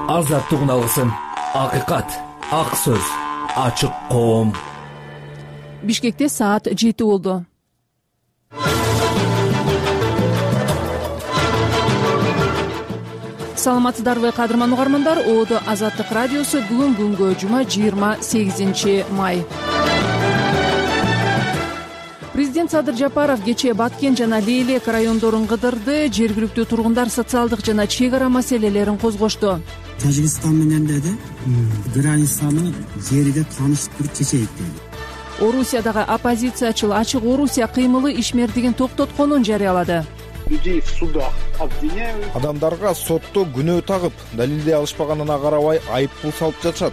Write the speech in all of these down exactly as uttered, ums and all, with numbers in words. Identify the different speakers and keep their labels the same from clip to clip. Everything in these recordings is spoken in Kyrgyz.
Speaker 1: азаттыгын алсын. Акыйкат, ак сөз, ачык коом.
Speaker 2: Бишкекте саат жети болду. Саламатсыздарбы кадырман угармандар? Оодо Азаттык радиосу бүгүн күнгө жума жыйырма сегизинчи май. Президент Садыр Жапаров кечээ Баткен жана Лейлек райондорун кыдырды. Жергиликтүү тургундар социалдык жана чек ара маселелерин козгошту.
Speaker 3: Тажикстан менен деди, границаны жериде тааныштырып чечейик деди.
Speaker 2: Орусиядагы оппозициячыл Ачык Орусия кыймылы ишмердигин токтотконун жарыялады.
Speaker 4: Людей в судах обвиняют.
Speaker 5: Адамдарга сотто күнөө тагып, далилдей алышпаганына карабай айыппул салып жатышат.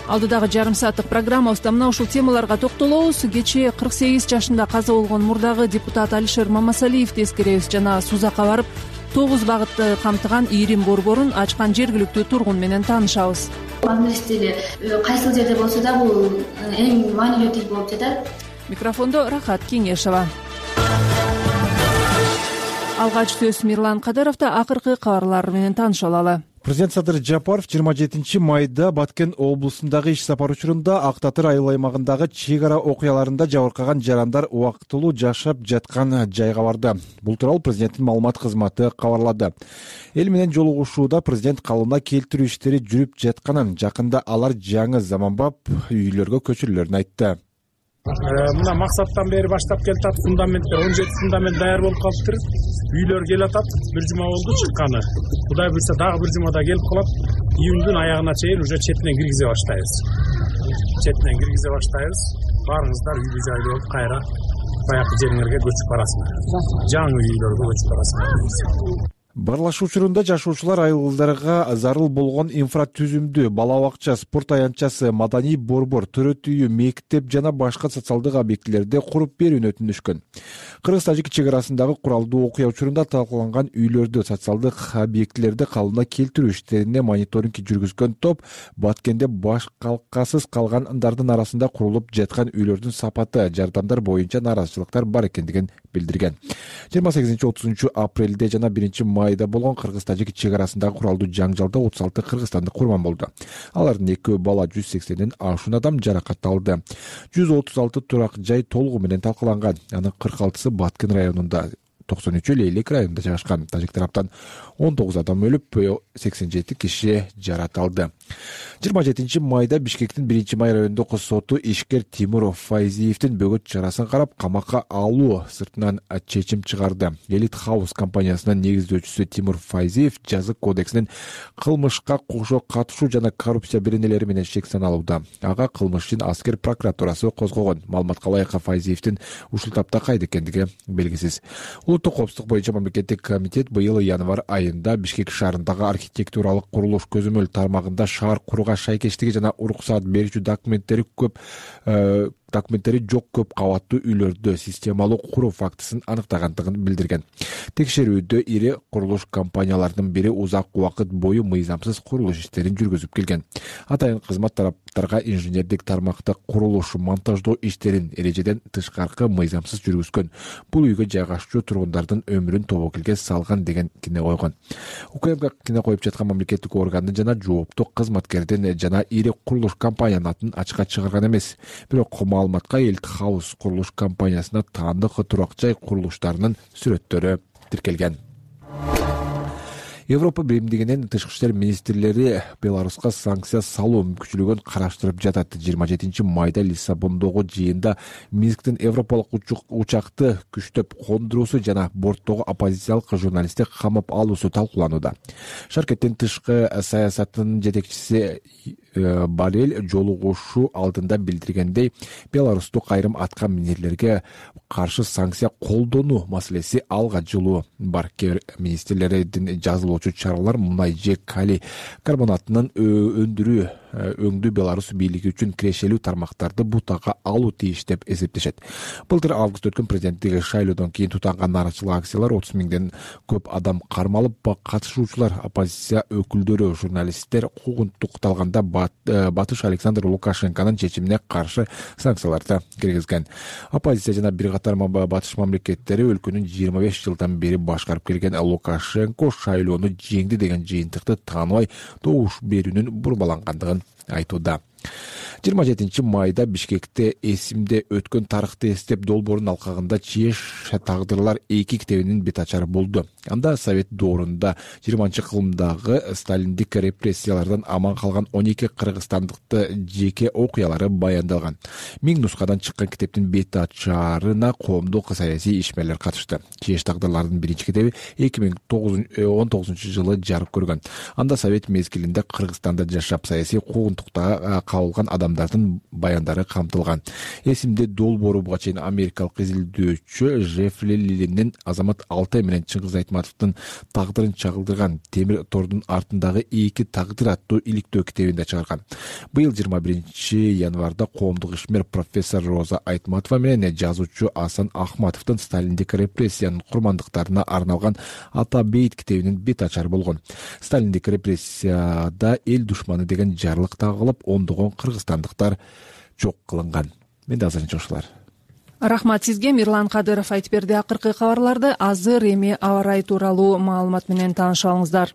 Speaker 2: Алдыдагы жарым сааттык программабызда мына ушул темаларга токтолобуз. Кечээ кырк сегиз жашында каза болгон мурдагы депутат Алишер Мамасалиевди эскеребиз жана Сузакка барып, тогуз багытты камтыган ийрим борборун ачкан жергиликтүү тургун менен таанышабыз.
Speaker 6: Англис тили кайсыл жерде болсо да бул эң маанилүү тил болуп жатат.
Speaker 2: Микрофондо Рахат Кеңешова. Алгач сөз Мирлан Кадыровда. Акыркы кабарлар менен тааныша алалы.
Speaker 5: Президент Садыр Жапаров жыйырма жетинчи майда Баткен облусундагы иш сапар учурунда Ак Татыр айыл аймагындагы чек ара окуяларында жабыркаган жарандар убактылуу жашап жаткан жайга барды. Бул тууралуу президенттин маалымат кызматы кабарлады. Эл менен жолугушууда президент калыбына келтирүү иштери жүрүп жатканын, жакында алар жаңы заманбап үйлөргө көчүрүлөрүн айтты.
Speaker 7: Мына максаттан бери баштап келатат, фундаменттер он жети фундамент даяр болуп калыптыр. Үйлөр келатат, бир жума болду чыкканы. Кудай буйрса дагы бир жумада келип калат. Июндун аягына чейин уже четинен киргизе баштайбыз. Четинен киргизе баштайбыз. Баарыңыздар үйлүү жайлуу болуп кайра баягы жериңерге көчүп барасыңар. Жаңы үйлөргө көчүп барасыңар.
Speaker 5: Барлашуу учурунда жашоочулар айылдарга зарыл болгон инфратүзүмдү, бала бакча, спорт аянтчасы, маданий борбор, төрөт үйү, мектеп жана башка социалдык объектилерди куруп берүүнү өтүнүшкөн. Кыргыз-Тажик чек арасындагы куралдуу окуя учурунда талкаланган үйлөрдү, социалдык объектилерди калыбына келтирүү иштерине мониторинг жүргүзгөн топ Баткенде баш калкасыз калгандардын арасында курулуп жаткан үйлөрдүн сапаты, жардамдар боюнча наразычылыктар бар экендигин билдирген. жыйырма сегизинчи отузунчу апрелде жана биринчи майда болгон Кыргыз-Тажик чек арасындагы куралдуу жаңжалда отуз алты кыргызстандык курман болду. Алардын экөө бала, жүз сексенден ашуун адам жаракат алды. жүз отуз алты турак жай толугу менен талкаланган. Анын кырк алтысы Баткен районунда, токсон үчү Лейлек районунда жайгашкан. Тажик тараптан он тогуз адам өлүп, сексен жети киши жаракат алды. жыйырма жетинчи майда Бишкектин биринчи май райондук соту ишкер Тимур Файзиевдин бөгөт чарасын карап, камакка алуу сыртынан чечим чыгарды. Элит Хаус компаниясынын негиздөөчүсү Тимур Файзиев жазык кодексинин кылмышка кошо катышуу жана коррупция беренелери менен шек саналууда. Ага кылмыш үчүн аскер прокуратурасы козгогон. Маалыматка ылайык Файзиевдин ушул тапта кайда экендиги белгисиз. Улуттук коопсуздук боюнча мамлекеттик комитет быйыл январь айында Бишкек шаарындагы архитектуралык курулуш көзөмөл тармагында шаар курууга шайкештиги жана уруксаат берүүчү документтери көп документтери жок көп кабаттуу үйлөрдү системалуу куруу фактысын аныктагандыгын билдирген. Текшерүүдө ири курулуш компанияларынын бири узак убакыт бою мыйзамсыз курулуш иштерин жүргүзүп келген. Атайын кызмат тараптарга инженердик тармакта курулуш, монтаждоо иштерин эрежеден тышкаркы мыйзамсыз жүргүзгөн. Бул үйгө жайгашчу тургундардын өмүрүн тобокелге салган деген кине койгон. УКМга кине коюп жаткан мамлекеттик органдын жана жооптуу кызматкердин жана ири курулуш компаниянын атын ачыкка чыгарган эмес. Бирок маалыматка Элит Хаус курулуш компаниясына таандык турак жай курулуштарынын сүрөттөрү тиркелген. Европа биримдигинин тышкы иштер министрлери Беларуска санкция салуу мүмкүнчүлүгүн караштырып жатат. жыйырма жетинчи майда Лиссабондогу жыйында Минсктин европалык учакты күчтөп кондуруусу жана борттогу оппозициялык журналистти камап алуусу талкууланууда. Шаркеттин тышкы саясатынын жетекчиси Барель жолугушуу алдында билдиргендей, Беларустук айрым атка минерлерге каршы санкция колдонуу маселеси алга жылуу бар. Министрлердин жазылуучу чаралар мунай же калий карбонатынын өндүрүү өңдүү Беларусь бийлиги үчүн кирешелүү тармактарды бутага алуу тийиш деп эсептешет. Былтыр август өткөн президенттик шайлоодон кийин тутанган нааразычылык акциялар отуз миңден көп адам кармалып, катышуучулар, оппозиция өкүлдөрү, журналисттер куугунтукталганда Батыш Александр Лукашенконун чечимине каршы санкцияларды киргизген. Оппозиция жана бир катар батыш мамлекеттери өлкөнүн жыйырма беш жылдан бери башкарып келген Лукашенко шайлоону жеңди деген жыйынтыкты тааныбай добуш берүүнүн бурмалангандыгын айтууда. жыйырма жетинчи майда Бишкекте эсимде өткөн тарыхты эстеп долбоордун алкагында чеш тагдырлар эки китебинин бет ачары болду. Анда Совет доорунда жыйырманчы кылымдагы сталиндик репрессиялардан аман калган он эки кыргызстандыкты жеке окуялары баяндалган. Миң нускадан чыккан китептин бет ачарына коомдук саясий ишмерлер катышты. Чеш тагдырлардын биринчи китеби эки миң он тогузунчу жылы жарык көргөн. Анда Совет мезгилинде Кыргызстанда жашап саясий куугунтукта кабылган адамдардын баяндары камтылган. Эсимде долбоору буга чейин америкалык изилдөөчү Жеффри Лилинин Азамат Алтай менен Чыңгыз Айтматовдун тагдырын чагылдырган Темир тордун артындагы эки тагдыр аттуу иликтөө китебинде чыгарган. Быйыл жыйырма биринчи январда коомдук ишмер профессор Роза Айтматова менен жазуучу Асан Ахматовдун Сталиндик репрессиянын курмандыктарына арналган Ата бейт китебинин бет ачары болгон. Сталиндик репрессияда эл душманы деген жарлык тагылып, ондогон кыргызстандыктар жок кылынган. Менде азырынча ушулар.
Speaker 2: Рахмат сизге. Мирлан Кадыров айтып берди. Акыркы кабарларды азыр эми аба ырайы тууралуу маалымат менен таанышып алыңыздар.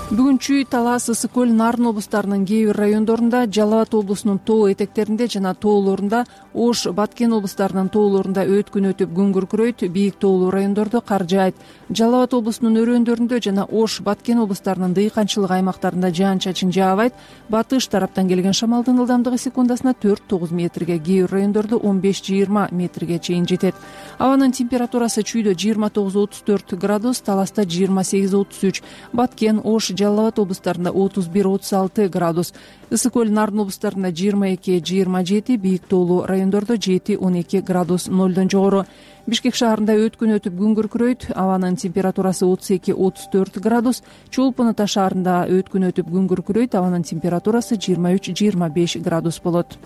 Speaker 2: Бүгүн Чүй, Талас, Ысык көл, Нарын облустарынын кээ бир райондорунда, Жалал Абад облусунун тоо этектеринде жана тоолорунда, Ош, Баткен облустарынын тоолорунда өткүн өтүп күн күркүрөйт, бийик тоолуу райондордо кар жаайт. Жалал Абад облусунун өрөөндөрүндө жана Ош, Баткен облустарынын дыйканчылык аймактарында жаан-чачын жаабайт. Батыш тараптан келген шамалдын ылдамдыгы секундасына төрт тогуз метрге, кээ бир райондордо он беш жыйырма метрге чейин жетет. Абанын температурасы Чүйдө жыйырма тогуз отуз төрт градус, Таласта жыйырма сегиз отуз үч, Баткен, Ош, Жалал Абад облустарында отуз бир отуз алты градус, Ысык көл, Нарын облустарында жыйырма эки жыйырма жети, бийик тоолуу райондордо жети он эки градус, нолдон жогору. Бишкек шаарында өткүн өтүп күн күркүрөйт, абанын температурасы отуз эки отуз төрт градус, Чолпон Ата шаарында өткүн өтүп күн күркүрөйт, абанын температурасы жыйырма үч жыйырма беш градус болот.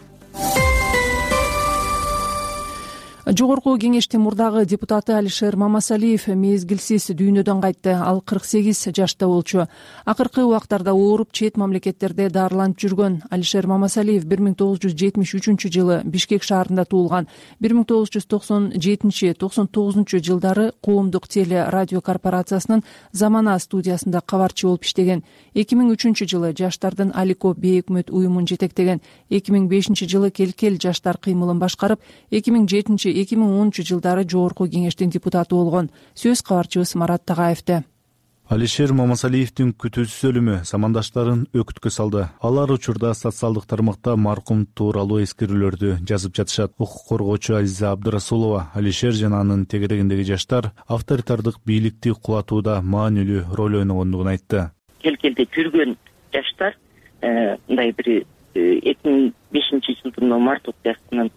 Speaker 2: Жогорку кеңештин мурдагы депутаты Алишер Мамасалиев мезгилсиз дүйнөдөн кайтты. Ал кырк сегиз жашта болчу. Акыркы убактарда ооруп чет мамлекеттерде дарыланып жүргөн Алишер Мамасалиев бир миң тогуз жүз жетимиш үчүнчү жылы Бишкек шаарында туулган. бир миң тогуз жүз токсон жетинчи токсон тогузунчу жылдары коомдук теле радио корпорациясынын Замана студиясында кабарчы болуп иштеген. эки миң үчүнчү жылы Жаштардын Алико бейөкмөт уюмун жетектеген. эки миң бешинчи жылы Келкел жаштар кыймылын башкарып, эки миң жетинчи эки миң онунчу жылдары Жогорку кеңештин депутаты болгон. Сөз кабарчыбыз Марат Тагаевде.
Speaker 8: Алишер Мамасалиевдин күтүүсүз өлүмү замандаштарын өкүткө салды. Алар учурда социалдык тармакта маркум тууралуу эскерүүлөрдү жазып жатышат. Укук коргоочу Азиза Абдырасулова Алишер жана анын тегерегиндеги жаштар авторитардык бийликти кулатууда маанилүү роль ойногондугун айтты.
Speaker 9: Келкелде жүргөн жаштар мындай бир эки миң бешинчи жылдын март окуясынан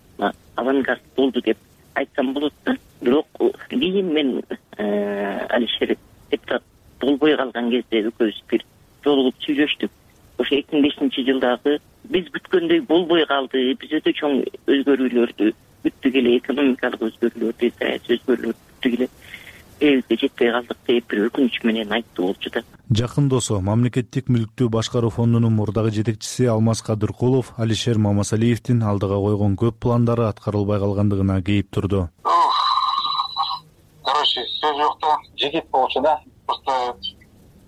Speaker 9: авангард болду деп айтсам болот да. Бирок кийин мен Алишер депутат болбой калган кезде экөөбүз бир жолугуп сүйлөштүк. Ошо эки миң бешинчи жылдагы биз күткөндөй болбой калды, биз өтө чоң өзгөрүүлөрдү күттүк эле, экономикалык өзгөрүүлөрдү, саясий өзгөрүүлөрдү күттүк эле. Элге жетпей калдык деп бир өкүнүч менен айтты болчу да.
Speaker 8: Жакын досу мамлекеттик мүлктү башкаруу фондунун мурдагы жетекчиси Алмаз Кадыркулов Алишер Мамасалиевдин алдыга койгон көп пландары аткарылбай калгандыгына кейип турду.
Speaker 10: Короче, сөз жок да, жигит болчу да. Просто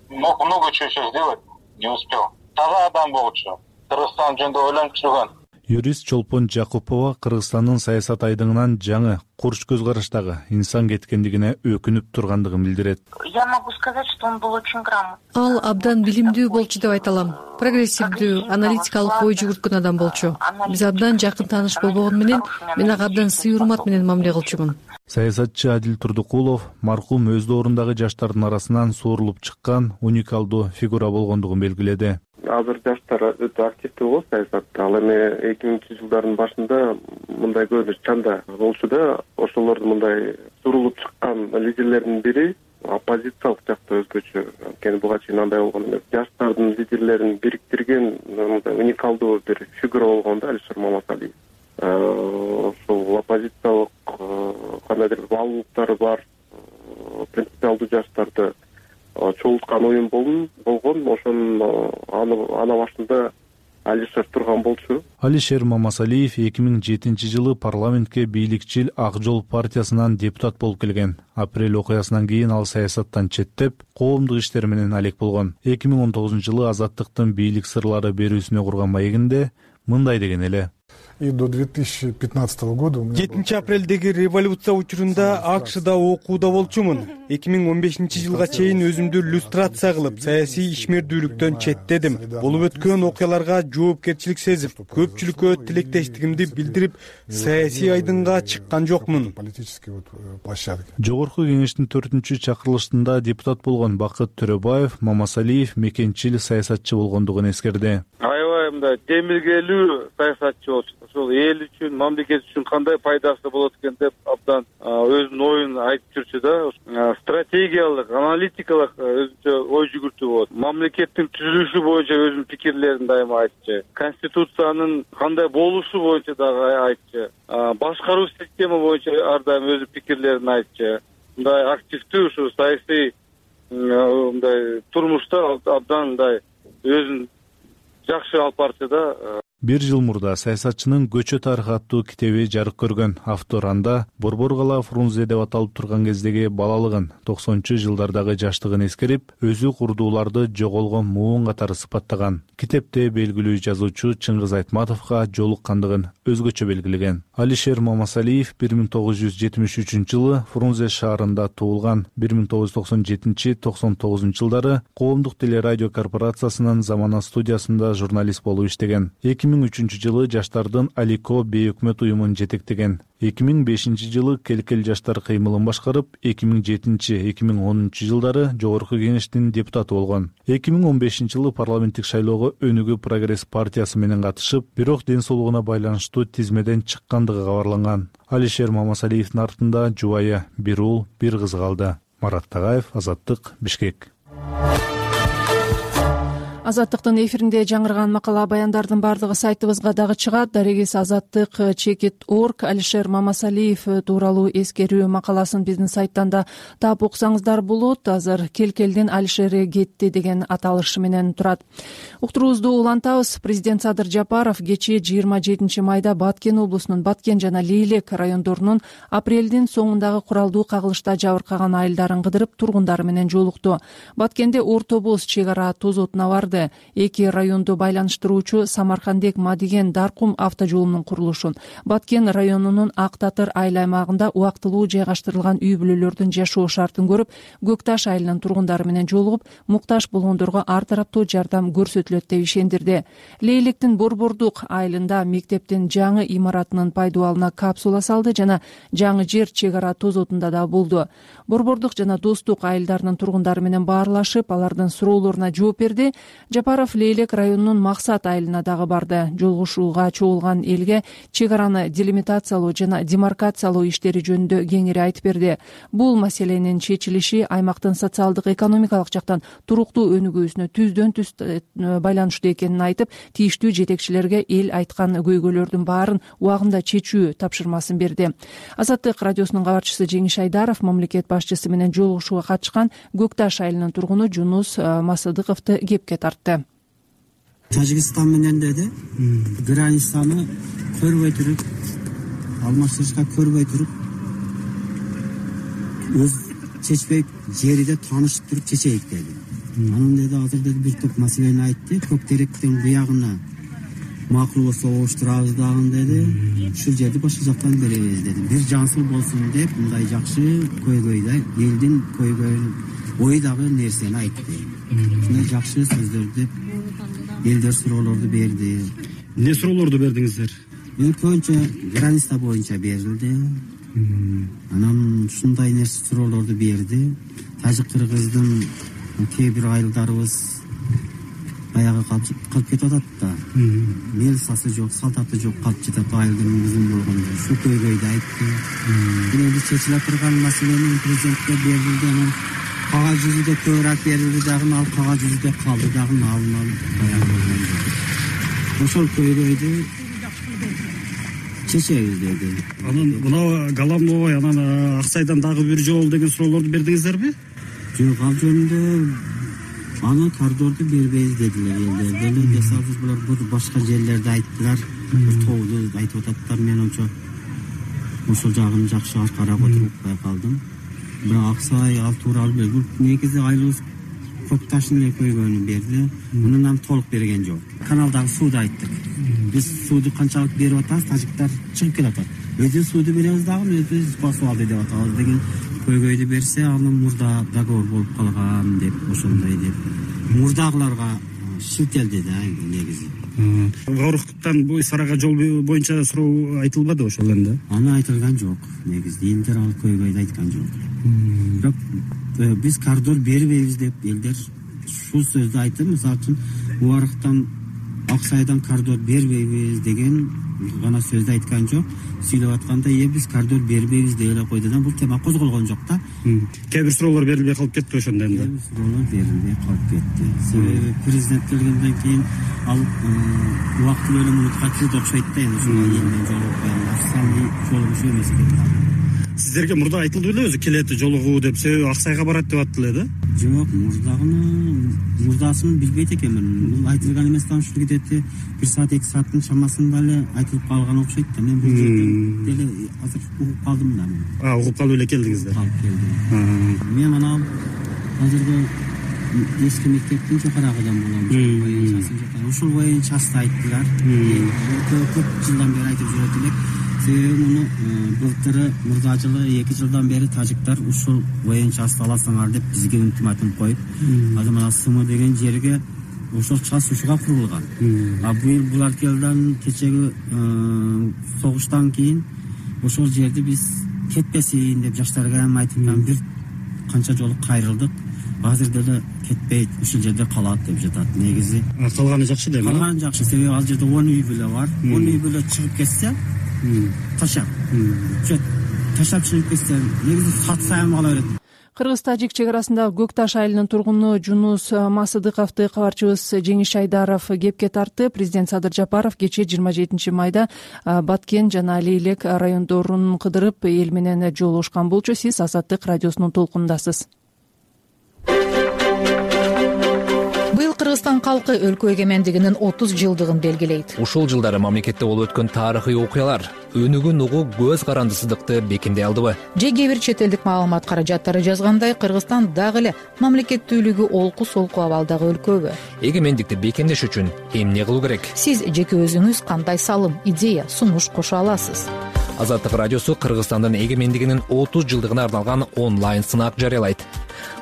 Speaker 10: много чего еще сделать не успел. Таза адам болчу. Кыргызстан жөнүндө ойлонуп жүргөн.
Speaker 8: Юрист Чолпон Жакупова Кыргызстандын саясат айдыңынан жаңы курч көз караштагы инсан кеткендигине өкүнүп тургандыгын билдирет.
Speaker 11: Я могу сказать, что он был очень грамотный.
Speaker 12: Ал абдан билимдүү болчу деп айта алам. Прогрессивдүү, аналитикалык ой жүгүрткөн адам болчу. Биз абдан жакын тааныш болгон менен мен ага абдан сый урмат менен мамиле кылчумун.
Speaker 8: Саясатчы Адил Турдукулов маркум өз доорундагы жаштардын арасынан суурулуп чыккан уникалдуу фигура болгондугун белгиледи.
Speaker 13: Азыр жаштар өтө активдүү болот саясатта. Ал эми эки миңинчи жылдардын башында мындай көрүнүш чанда болчу да, ошолордун мындай сурулуп чыккан лидерлердин бири оппозициялык жакта өзгөчө, анткени буга чейин андай болгон эмес. Жаштардын лидерлерин бириктирген уникалдуу бир фигура болгон да Алишер Мамасалиев. Ошол оппозициялык кандайдыр бир баалуулуктары бар, принципиалдуу жаштарды чогулткан оюн болгон. Ошонун ана башында Алишер турган болчу.
Speaker 8: Алишер Мамасалиев эки миң жетинчи жылы парламентке бийликчил Ак Жол партиясынан депутат болуп келген. Апрель окуясынан кийин ал саясаттан четтеп, коомдук иштер менен алек болгон. эки миң он тогузунчу жылы Азаттыктын бийлик сырлары берүүсүнө курган маегинде мындай деген эле:
Speaker 14: И до две тысячи пятнадцатого года
Speaker 15: жетинчи апрелдеги революция учурунда АКШда окууда болчумун. эки миң он бешинчи жылга чейин өзүмдү люстрация кылып, саясий ишмердүүлүктөн четтедим. Болуп өткөн окуяларга жоопкерчилик сезип, көпчүлүккө тилектештигимди билдирип, саясий айдынга чыккан жокмун.
Speaker 8: Жогорку кеңештин төртүнчү чакырылышында депутат болгон Бакыт Төрөбаев Мамасалиев мекенчил саясатчы болгондугун эскерди.
Speaker 16: Аябай мындай демилгелүү саясатчы болчу. Ошол эл үчүн, мамлекет үчүн кандай пайдасы болот экен деп абдан өзүнүн оюн айтып жүрчү да. Стратегиялык, аналитикалык өзүнчө ой жүгүртүү болот. Мамлекеттин түзүлүшү боюнча өзүнүн пикирлерин дайыма айтчу. Конституциянын кандай болушу боюнча дагы айтчу. Башкаруу система боюнча ар дайым өзүнүн пикирлерин айтчу. Мындай активдүү ушу саясий мындай турмушта абдан мындай өзүн жакшы алып барчу да.
Speaker 8: Бир жыл мурда саясатчынын Көчө тарыхы аттуу китеби жарык көргөн. Автор анда Борбор кала Фрунзе деп аталып турган кездеги балалыгын, токсонунчу жылдардагы жаштыгын эскерип, өзү курдууларды жоголгон муун катары сыпаттаган. Китепте белгилүү жазуучу Чыңгыз Айтматовго жолуккандыгын өзгөчө белгилеген. Алишер Мамасалиев бир миң тогуз жүз жетимиш үчүнчү жылы Фрунзе шаарында туулган. бир миң тогуз жүз токсон жетинчи — токсон тогузунчу жылдары коомдук телерадио корпорациясынын Замана студиясында журналист болуп иштеген. эки миң үчүнчү жылы жаштардын Алико бейөкмөт уюмун жетектеген. эки миң бешинчи жылы Келкел жаштар кыймылын башкарып, эки миң жетинчи — эки миң онунчу жылдары Жогорку кеңештин депутаты болгон. эки миң он бешинчи жылы парламенттик шайлоого Өнүгүү Прогресс партиясы менен катышып, бирок ден соолугуна байланыштуу тизмеден чыккандыгы кабарланган. Алишер Мамасалиевдин артында жубайы бир уул, бир кыз калды. Марат Тагаев, Азаттык, Бишкек.
Speaker 2: Азаттыктын эфиринде жаңырган макала баяндардын бардыгы сайтыбызга дагы чыгат. Дарегиз Азаттык чекит точка орг Алишер Мамасалиев тууралуу эскерүү макаласын биздин сайттан да таап окусаңыздар болот. Азыр Келкелдин Алишери кетти деген аталышы менен турат. Уктуруубузду улантабыз. Президент Садыр Жапаров кечээ жыйырма жетинчи майда Баткен облусунун Баткен жана Лейлек райондорунун апрелдин соңундагы куралдуу кагылышта жабыркаган айылдарын кыдырып, тургундары менен жолукту. Баткенде ортобуз чек ара тозотуна барды. Эки районду байланыштыруучу Самаркандек Мадиген Даркум автожолунун курулушун, Баткен районунун Ак Татыр айыл аймагында убактылуу жайгаштырылган үй бүлөлөрдүн жашоо шартын көрүп, Көкташ айылынын тургундары менен жолугуп, муктаж болгондорго ар тараптуу жардам көрсөтүлөт деп ишендирди. Лейлектин Борбордук айылында мектептин жаңы имаратынын пайдубалына капсула салды жана жаңы жер чек ара тозотунда да болду. Борбордук жана Достук айылдарынын тургундары менен баарлашып, алардын суроолоруна жооп берди. Жапаров Лейлек районунун Максат айылына дагы барды. Жолугушууга чогулган элге чек араны делимитациялоо жана демаркациялоо иштери жөнүндө кеңири айтып берди. Бул маселенин чечилиши аймактын социалдык экономикалык жактан туруктуу өнүгүүсүнө түздөн түз байланыштуу экенин айтып, тийиштүү жетекчилерге эл айткан көйгөйлөрдүн баарын убагында чечүү тапшырмасын берди. Азаттык радиосунун кабарчысы Жеңиш Айдаров мамлекет башчысы менен жолугушууга катышкан Көкташ айылынын тургуну Жунус Масыдыковду кепке тартты.
Speaker 3: Тажикстан менен деди, границаны көрбөй туруп, алмаштырышка көрбөй туруп, өз чечпей жериде таанышып туруп чечейик деди. Анан деди, азыр деди бир топ маселени айтты, Көктеректин буягына макул болсо оштурабыз дагы деди, ушул жерди башка жактан беребиз деди. Бир жансыл болсун деп, мындай жакшы көйгөйдө элдин көйгөйүн ойдагы нерсени айтты. Ушундай жакшы сөздөр деп элдер суроолорду берди.
Speaker 17: Эмне суроолорду бердиңиздер?
Speaker 3: Эң көбүнчө граница боюнча берилди. Анан ушундай нерсе суроолорду берди. Тажик кыргыздын кээ бир айылдарыбыз баягы калып кетип атат да. Мелсасы жок, салтаты жок калып жатат айылдын узун болгондо. Ушу көйгөйдү айтты. Эми чечиле турган маселени президентке берилди. Анан кагаз жүзүдө көбүрөөк берилди дагы ал кагаз жүзүдө калды дагы алынып даярдалган. Ошол көйгөйдү чечебиз деди.
Speaker 17: Анан мына головной анан Аксайдан дагы бир жол деген суроолорду бердиңиздерби?
Speaker 3: Жок, ал жөнүндө аны коридорду бербейбиз дедилер элдер. Деле десаңыз булар башка жерлерде айттылар. Тоолду айтып ататтар. Мен ончо ошол жагын жакшы карап отуруп байкалдым. Бирок Аксай ал тууралуу бул негизи айлыбыз көк таштын эле көйгөйүн берди. Мунун толук берген жок. Каналдагы сууду айттык. Биз сууду канчалык берип атабыз, тажиктар чыгып келатат. Өзү сууду беребиз дагы, өзүбүз басып деп атабыз деген көйгөйдү берсе, анын мурда договор болуп калган деп, ошондой деп. Мурдагыларга шилтелди да негизи.
Speaker 17: Гауруктан бу Сарага жол боюнча суроо айтылбады ошол эле?
Speaker 3: Аны айтылган жок. Негизи элдер ал көйгөйдү айткан жок. Бирок биз коридор бербейбиз деп элдер ушул сөздү айтты. Мисалы үчүн Убарыктан Аксайдан коридор бербейбиз деген гана сөздү айткан жок. Сүйлөп атканда э биз коридор бербейбиз деп эле койду да. Бул тема козголгон жок да.
Speaker 17: Кээ бир суроолор берилбей калып кетти ошондо энди.
Speaker 3: Кээ бир суроолор берилбей калып кетти. Себеби президент келгенден кийин ал убактылуу эле мунутка кирди окшойт да, эми ушуга элмен жолугуп официальный жолугушуу эмес экен.
Speaker 17: Сиздерге мурда айтылды беле өзү келет жолугуу деп, себеби Аксайга барат деп аттылы да?
Speaker 3: Жок, мурдагыны мурдасын билбейт экенмин. Бул айтылган эмес да, ушул кетти бир саат эки сааттын чамасында эле айтылып калган окшойт да. Мен бул жерден деле азыр угуп калдым да.
Speaker 17: А, угуп калып эле келдиңиздер.
Speaker 3: Калып келдим. Мен анан азыркы эски мектептин жокорагыдан болом. Ушул боюнчасы айттылар. Көп жылдан бери айтып жүрөт элек. Себеби муну былтыры мурда жылы эки жылдан бери тажиктар ушул боюнчасы аласыңар деп бизге ультиматум коюп, азыр мына Сымы деген жерге ошол час ушуга курулган. А быйыл булар келген кечеги согуштан кийин ошол жерди биз кетпесин деп жаштарга эми айтып бир канча жолу кайрылдык. Азыр деле кетпейт, ушул жерде калат деп жатат. Негизи
Speaker 17: калганы жакшы деп.
Speaker 3: Калганы жакшы, себеби ал жерде он үй бүлө бар. он үй бүлө чыгып кетсе, ташап. Жок, ташап чыгып кетсе, негизи сатса эми кала берет.
Speaker 2: Кыргыз-тажик чек арасында Көк Таш айылынын тургуну Жунус Масыдыковду кабарчыбыз Жеңиш Айдаров кепке тартты. Президент Садыр Жапаров кечээ жыйырма жетинчи майда Баткен жана Лейлек райондорун кыдырып эл менен жолугушкан болчу. Сиз Азаттык радиосунун толкунундасыз.
Speaker 18: Быйыл Кыргызстан калкы өлкө эгемендигинин отуз жылдыгын белгилейт.
Speaker 1: Ушул жылдары мамлекетте болуп өткөн тарыхый окуялар өнүгүн угуу көз карандысыздыкты бекемдей алдыбы?
Speaker 18: Же кээ бир чет элдик маалымат каражаттары жазгандай, Кыргызстан дагы эле мамлекеттүүлүгү олку-солку абалдагы өлкөбү?
Speaker 1: Эгемендикти бекемдеш үчүн эмне кылуу керек?
Speaker 18: Сиз жеке өзүңүз кандай салым, идея, сунуш кошо аласыз?
Speaker 1: Азаттык радиосу Кыргызстандын эгемендигинин отуз жылдыгына арналган онлайн сынак жарыялайт.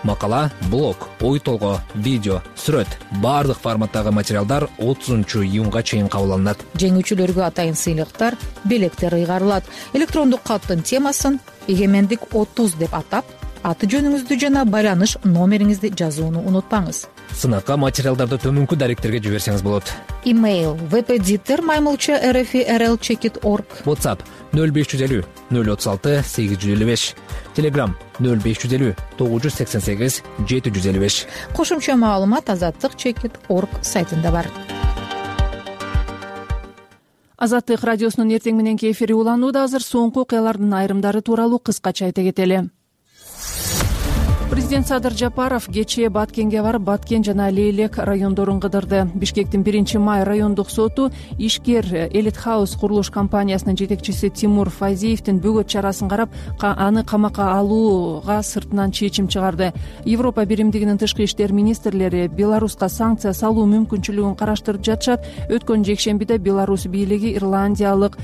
Speaker 1: Макала, блог, ой толгоо, видео, сүрөт баардык форматтагы материалдар отузунчу июнга чейин кабыл алынат.
Speaker 18: Жеңүүчүлөргө атайын сыйлыктар, белектер ыйгарылат. Электрондук каттын темасын эгемендик отуз деп атап, аты жөнүңүздү жана байланыш номериңизди жазууну унутпаңыз.
Speaker 1: Сынакка материалдарды төмөнкү даректерге жиберсеңиз болот.
Speaker 18: Имейл впдиттер маймылча рф рл чекит точка орг.
Speaker 1: WhatsApp нөл беш жүз элүү нөл отуз алты сегиз жүз элүү беш. Telegram нөл беш жүз элүү тогуз жүз сексен сегиз жети жүз элүү беш.
Speaker 18: Кошумча маалымат азаттык чекит точка орг сайтында бар.
Speaker 2: Азаттык радиосунун эртең мененки эфири уланууда. Азыр соңку окуялардын айрымдары тууралуу кыскача айта кетели. Президент Садыр Жапаров кечээ Баткенге барып, Баткен жана Лейлек райондорун кыдырды. Бишкектин биринчи май райондук соту ишкер Элит Хаус курулуш компаниясынын жетекчиси Тимур Файзиевдин бөгөт чарасын карап, аны камакка алууга сыртынан чечим чыгарды. Европа биримдигинин тышкы иштер министрлери Беларуска санкция салуу мүмкүнчүлүгүн караштырып жатышат. Өткөн жекшембиде Беларусь бийлиги ирландиялык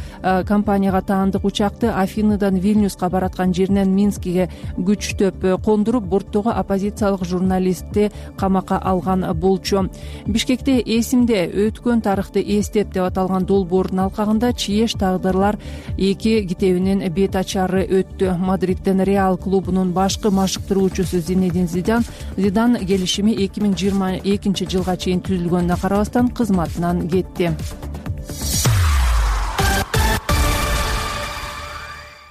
Speaker 2: компанияга таандык учакты Афиныдан Вильнюска бараткан жеринен Минскиге күчтөп кондуруп, борттогу оппозициялык журналистти камакка алган болчу. Бишкекте эсимде өткөн тарыхты эстеп деп аталган долбоордун алкагында Чиеш тагдырлар эки китебинин бет ачары өттү. Мадридден Реал клубунун башкы машыктыруучусу Зинедин Зидан Зидан келишими эки миң жыйырма экинчи жылга чейин түзүлгөнүнө карабастан кызматынан кетти.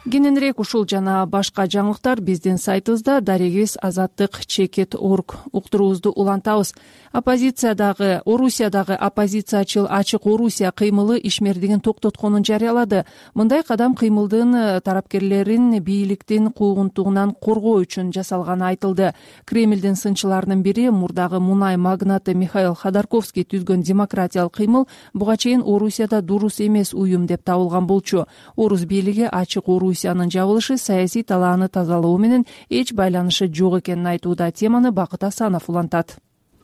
Speaker 2: кененирээк ушул жана башка жаңылыктар биздин сайтыбызда дарегибиз азаттык чекит орг уктуруубузду улантабыз. Оппозициядагы Орусиядагы оппозициячыл Ачык Орусия кыймылы ишмердигин токтотконун жарыялады. Мындай кадам кыймылдын тарапкерлерин бийликтин куугунтугунан коргоо үчүн жасалганы айтылды. Кремлдин сынчыларынын бири мурдагы мунай магнаты Михаил Ходорковский түзгөн демократиялык кыймыл буга чейин Орусияда дурус эмес уюм деп табылган болчу. Орус бийлиги Ачык Орусиянын жабылышы саясий талааны тазалоо менен эч байланышы жок экенин айтууда. Теманы Бакыт Асанов улантат.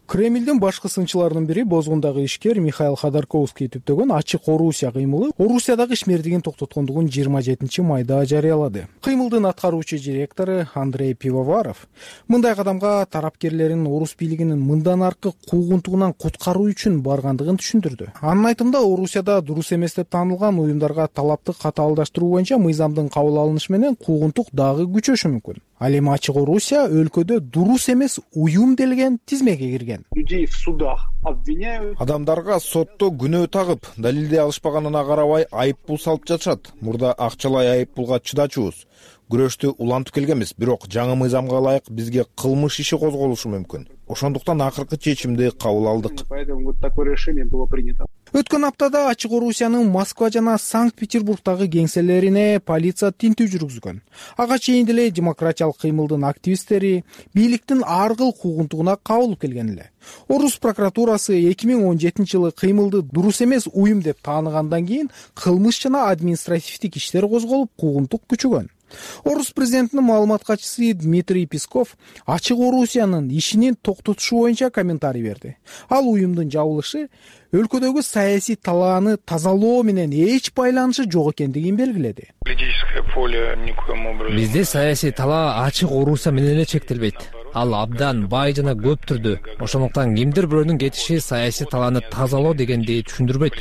Speaker 15: Кремлдин башкы сынчыларынын бири бозгундагы ишкер Михаил Ходорковский түптөгөн Ачык Орусия кыймылы Орусиядагы ишмердигин токтоткондугун жыйырма жетинчи майда жарыялады. Кыймылдын аткаруучу директору Андрей Пивоваров мындай кадамга тарапкерлерин орус бийлигинин мындан аркы куугунтугунан куткаруу үчүн баргандыгын түшүндүрдү. Анын айтымында Орусияда дурус эмес деп таанылган уюмдарга талапты катаалдаштыруу боюнча мыйзамдын кабыл алынышы менен куугунтук дагы күчөшү мүмкүн. Ал эми Ачык Орусия өлкөдө дурус эмес уюм делген тизмеге кирген.
Speaker 4: Людей в судах обвиняют.
Speaker 19: Адамдарга сотто күнөө тагып, далилдей алышпаганына карабай айыппул салып жатышат. Мурда акчалай айыппулга чыдачубуз. Күрөштү улантып келгенбиз, бирок жаңы мыйзамга ылайык бизге кылмыш иши козголушу мүмкүн. Ошондуктан акыркы чечимди кабыл алдык.
Speaker 4: Поэтому вот такое решение было принято.
Speaker 15: Өткөн аптада Ачык Орусиянын Москва жана Санкт-Петербургдагы кеңселерине полиция тинтүү жүргүзгөн. Ага чейин деле демократиялык кыймылдын активисттери бийликтин ар кыл куугунтугуна кабылып келген эле. Орус прокуратурасы эки миң он жетинчи жылы кыймылды дурус эмес уюм деп тааныгандан кийин кылмыш жана административдик иштер козголуп, куугунтук күчөгөн. Орус президентинин маалымат катчысы Дмитрий Песков Ачык Орусиянын ишинин токтотушу боюнча комментарий берди. Ал уюмдун жабылышы өлкөдөгү саясий талааны тазалоо менен эч байланышы жок экендигин белгиледи.
Speaker 1: Бизде саясий талаа Ачык Орусия менен эле чектелбейт. Ал абдан бай жана көп түрдүү. Ошондуктан кимдир бирөөнүн кетиши саясий талааны тазалоо дегенди түшүндүрбөйт.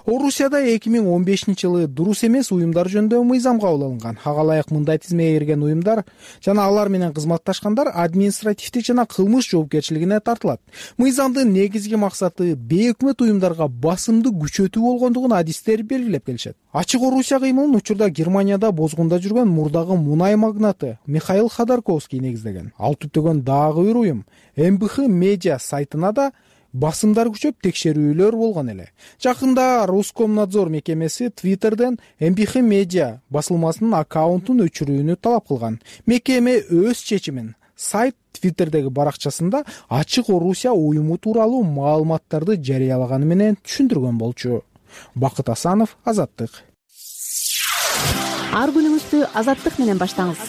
Speaker 15: Орусияда эки миң он бешинчи жылы дурус эмес уюмдар жөнүндө мыйзам кабыл алынган. Ага ылайык мындай тизмеге кирген уюмдар жана алар менен кызматташкандар административдик жана кылмыш жоопкерчилигине тартылат. Мыйзамдын негизги максаты бейөкмөт уюмдарга басымды күчөтүү болгондугун адистер белгилеп келишет. Ачык Орусия кыймылын учурда Германияда бозгунда жүргөн мурдагы мунай магнаты Михаил Ходорковский негиздеген. Ал түптөгөн дагы бир уюм эм бэ ха медиа сайтына да басымдар күчөп текшерүүлөр болгон эле. Жакында Роскомнадзор мекемеси Твиттерден эм бэ ха медиа басылмасынын аккаунтун өчүрүүнү талап кылган. Мекеме өз чечимин сайт Твиттердеги баракчасында Ачык Орусия уюму тууралуу маалыматтарды жарыялаганы менен түшүндүргөн болчу. Бакыт Асанов, Азаттык.
Speaker 20: Ар күнүңүздү Азаттык менен баштаңыз.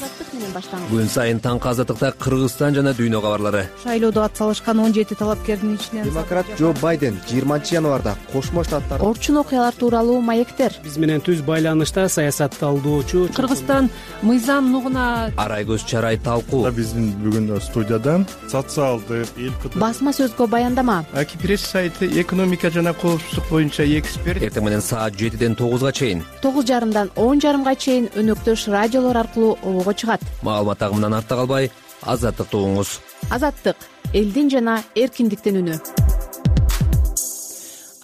Speaker 1: Күн сайын таңкы Азаттыкта Кыргызстан жана дүйнө кабарлары.
Speaker 20: Шайлоодо ат салышкан он жети талапкердин ичинен
Speaker 21: демократ Джо Байден жыйырманчы январда Кошмо Штаттар
Speaker 20: орчун окуялар тууралуу маектер.
Speaker 22: Биз менен түз байланышта саясатталдоочу
Speaker 2: Кыргызстан мыйзам нугуна
Speaker 1: Арайгөз Чарай талкуу.
Speaker 23: Биздин бүгүн студияда социалдык эл
Speaker 20: басма сөзгө баяндама.
Speaker 21: Аки пресс сайты экономика жана коопсуздук боюнча эксперт.
Speaker 1: Эртең менен саат жетиден тогузга чейин.
Speaker 20: тогуз жарымдан он жарымга чейин өнөктөш радиолор аркылуу обого чыгат.
Speaker 1: Маалымат агымынан артта калбай, Азаттыкты угуңуз.
Speaker 20: Азаттык — элдин жана эркиндиктин үнү.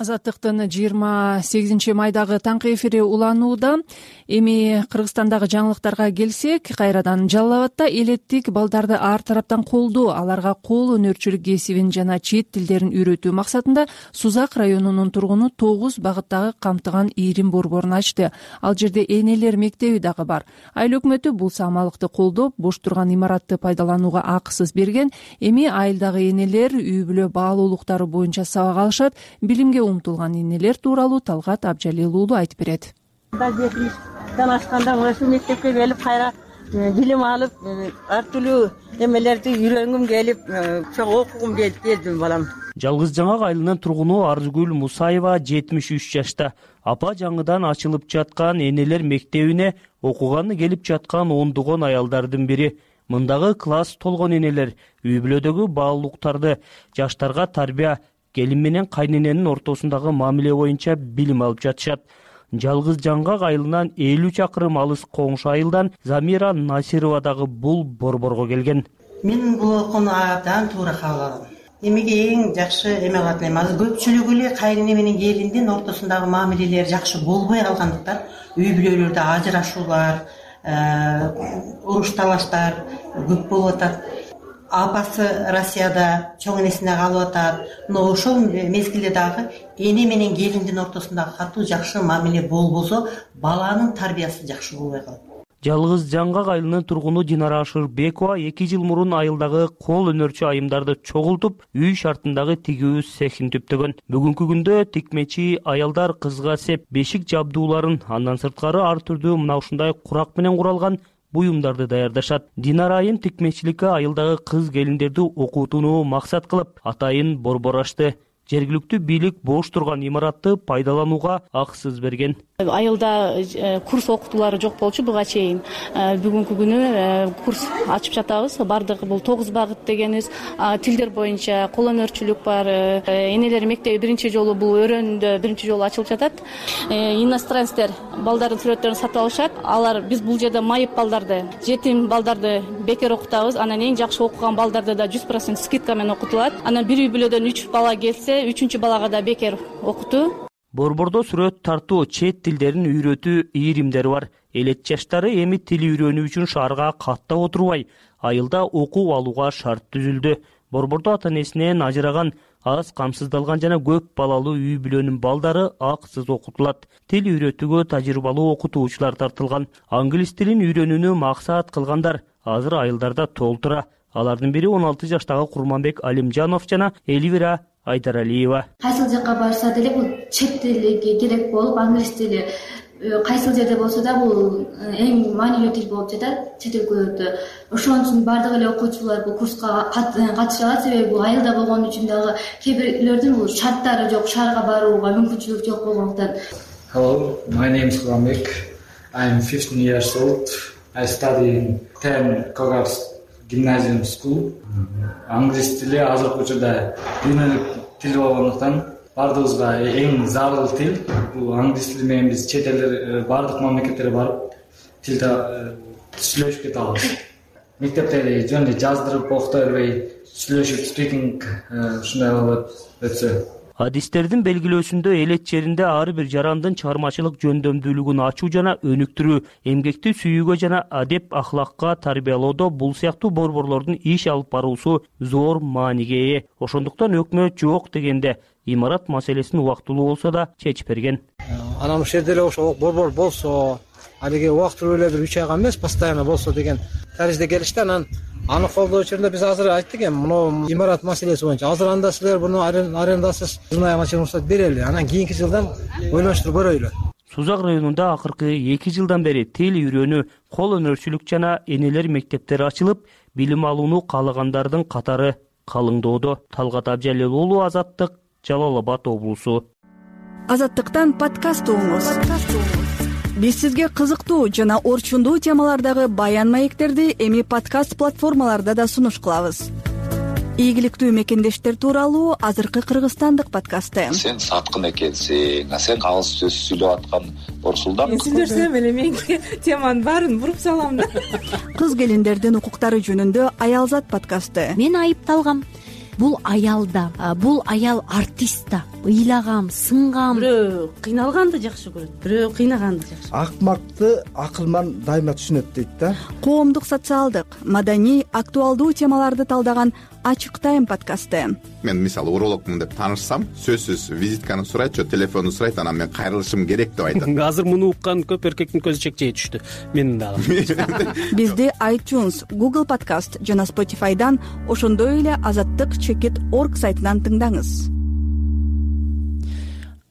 Speaker 2: Азаттыктын жыйырма сегизинчи майдагы таңкы эфири уланууда. Эми Кыргызстандагы жаңылыктарга келсек, кайрадан Жалал Абадда элеттик балдарды ар тараптан колдоо, аларга кол өнөрчүлүк кесибин жана чет тилдерин үйрөтүү максатында Сузак районунун тургуну тогуз багыттагы камтыган ийрим борборун ачты. Ал жерде энелер мектеби дагы бар. Айыл өкмөтү бул самалыкты колдоп, бош турган имаратты пайдаланууга акысыз берген. Эми айылдагы энелер үй бүлө баалуулуктары боюнча сабак алышат. Билимге умтулган энелер тууралуу Талгат Абжалил уулу айтып берет.
Speaker 24: Дан ашканда ушул мектепке келип кайра билим алып, ар түрдүү эмелерди үйрөнгүм келип, чоң окугум келип келдим балам.
Speaker 22: Жалгыз Жаңак айылынын тургуну Арзгүл Мусаева жетимиш үч жашта. Апа жаңыдан ачылып жаткан энелер мектебине окуганы келип жаткан ондогон аялдардын бири. Мындагы класс толгон энелер үй бүлөдөгү баалуулуктарды, жаштарга тарбия, келин менен кайнененин ортосундагы мамиле боюнча билим алып жатышат. Жалгыз Жаңгак айылынан элүү чакырым алыс коңшу айылдан Замира Насирова дагы бул борборго келген.
Speaker 24: Мен бул окууну абдан туура кабыл алдым. эмеге эң жакшы эме кылат элем. Азыр көпчүлүгү эле кайрине менен келиндин ортосундагы мамилелер жакшы болбой калгандыктан үй бүлөлөрдө ажырашуулар, уруш талаштар көп болуп атат. Апасы Россияда чоң энесине калып атат. Но ошол мезгилде дагы эне менен келиндин ортосундагы катуу жакшы мамиле болбосо, баланын тарбиясы жакшы болбой калат.
Speaker 22: Жалгыз Жаңгак айылынын тургуну Динара Ашырбекова эки жыл мурун айылдагы кол өнөрчү айымдарды чогултуп, үй шартындагы тигүү цехин түптөгөн. Бүгүнкү күндө тикмечи аялдар кызга сеп бешик жабдууларын, андан сырткары ар түрдүү мына ушундай курак менен куралган буюмдарды даярдашат. Динара айым тикмечиликке айылдагы кыз келиндерди окутууну максат кылып, атайын борбор ачты. Жергиликтүү бийлик бош турган имаратты пайдаланууга акысыз берген.
Speaker 5: Айылда курс окутуулары жок болчу буга чейин. Бүгүнкү күнү курс ачып жатабыз. Бардыгы бул тогуз багыт дегенибиз. Тилдер боюнча кол өнөрчүлүк бар. Энелер мектеби биринчи жолу бул өрөндө биринчи жолу ачылып жатат. Иностранецтер балдардын сүрөттөрүн сатып алышат. Алар биз бул жерде майып балдарды, жетим балдарды бекер окутабыз. Анан эң жакшы окуган балдарды да жүз процент скидка менен окутулат. Анан бир үй бүлөдөн үч бала келсе, үчүнчү балага да бекер окутуу.
Speaker 22: Борбордо сүрөт тартуу, чет тилдерин үйрөтүү ийримдери бар. Элет жаштары эми тил үйрөнүү үчүн шаарга каттап отурбай, айылда окуу алууга шарт түзүлдү. Борбордо ата-энесинен ажыраган, аз камсыздалган жана көп балалуу үй бүлөнүн балдары акысыз окутулат. Тил үйрөтүүгө тажрыйбалуу окутуучулар тартылган. Англис тилин үйрөнүүнү максат кылгандар азыр айылдарда толтура. Алардын бири он алты жаштагы Курманбек Алимжанов жана Эльвира Айдаралиева.
Speaker 6: Кайсыл жакка барса деле бул чет тили керек болуп, англис тили кайсыл жерде болсо да бул эң маанилүү тил болуп жатат чет өлкөлөрдө. Ошон үчүн бардык эле окуучулар бул курска катышат, себеби бул айылда болгон үчүн дагы кээ бирлердин бул шарттары жок, шаарга барууга мүмкүнчүлүк жок болгондуктан.
Speaker 7: Hello, my name is Kурманбек. I am fifteen years old. I study in ten Kogar's Gymnasium School. Англис тили азыркы учурда дүйнөлүк тил болгондуктан бардыгыбызга эң зарыл тил. Бул англис тили менен биз чет элдер бардык мамлекеттерге барып тилде сүйлөшүп кете алабыз. Мектепте жөн эле жаздырып окута бербей сүйлөшүп спикинг ушундай кылып өтсө.
Speaker 22: Адистердин белгилөөсүндө элет жеринде ар бир жарандын чыгармачылык жөндөмдүүлүгүн ачуу жана өнүктүрүү, эмгекти сүйүүгө жана адеп ахлакка тарбиялоодо бул сыяктуу борборлордун иш алып баруусу зор мааниге ээ. Ошондуктан өкмөт жок дегенде имарат маселесин убактылуу болсо да чечип берген.
Speaker 9: Анан ошол жерде эле ошол борбор болсо, алиги убактылуу эле бир үч айга эмес, постоянно болсо деген таризде келишти. Анан аны колдоо учурунда биз азыр айттык эми мына имарат маселеси боюнча азыр анда силер буну арендасыз жылына рұқсат берели, анан кийинки жылдан ойлонуштуруп көрөйлү.
Speaker 22: Сузак районунда акыркы эки жылдан бери тил үйрөнүү, кол өнөрчүлүк жана энелер мектептери ачылып, билим алууну каалагандардын катары калыңдоодо. Талгат Абжалил уулу, Азаттык, Жалал Абад облусу.
Speaker 25: Азаттыктан подкаст угуңуз. Биз сизге кызыктуу жана орчундуу темалардагы баян маектерди эми подкаст платформаларда да сунуш кылабыз. Ийгиликтүү мекендештер тууралуу азыркы кыргызстандык подкасты.
Speaker 26: Сен саткын экенсиң, сен калыс сөз сүйлөп аткан Орсулдан.
Speaker 27: Мен сүйлөсөм эле мен теманын баарын буруп салам да.
Speaker 25: Кыз келиндердин укуктары жөнүндө Аялзат подкасты.
Speaker 28: Мен айыпталгам. Бул аялда, бул аял артист да. Ыйлагам, сынгам.
Speaker 27: Бирөө кыйналганды жакшы көрөт, бирөө кыйнаганды жакшы.
Speaker 29: Акмакты акылман дайыма түшүнөт дейт да.
Speaker 25: Коомдук, социалдык, маданий, актуалдуу темаларды талдаган Ачык тайм подкасты.
Speaker 30: Мен мисалы урологмун деп таанышсам, сөзсүз визитканы сурайт, телефонду сурайт, анан мен кайрылышым керек деп айтат.
Speaker 31: Азыр муну уккан көп эркектин көзү чекчей түштү. Менин дагы.
Speaker 25: Бизди iTunes, Google Podcast жана Spotify'дан, ошондой эле азаттык чекит точка орг сайтынан тыңдаңыз.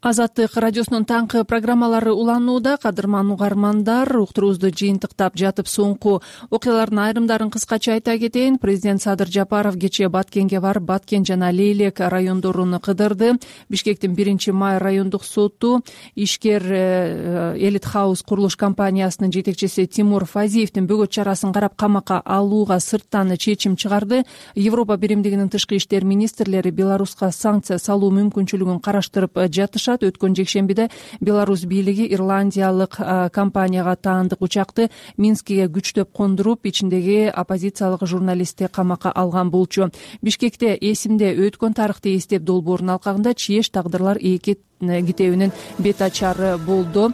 Speaker 2: Азаттык радиосунун таңкы программалары уланууда. Кадырман угармандар, уктуруубузду жыйынтыктап жатып соңку окуялардын айрымдарын кыскача айта кетейин. Президент Садыр Жапаров кечээ Баткенге барып, Баткен жана Лейлек райондорун кыдырды. Бишкектин биринчи май райондук соту ишкер Элит Хаус курулуш компаниясынын жетекчиси Тимур Фазиевдин бөгөт чарасын карап камакка алууга сырттан чечим чыгарды. Европа биримдигинин тышкы иштер министрлери Беларуска санкция салуу мүмкүнчүлүгүн караштырып жатышат. айтышат. Өткөн жекшембиде Беларусь бийлиги ирландиялык компанияга таандык учакты Минскиге күчтөп кондуруп, ичиндеги оппозициялык журналистти камакка алган болчу. Бишкекте эсимде өткөн тарыхты эстеп долбоорунун алкагында чиеш тагдырлар эки китебинин бет ачары болду.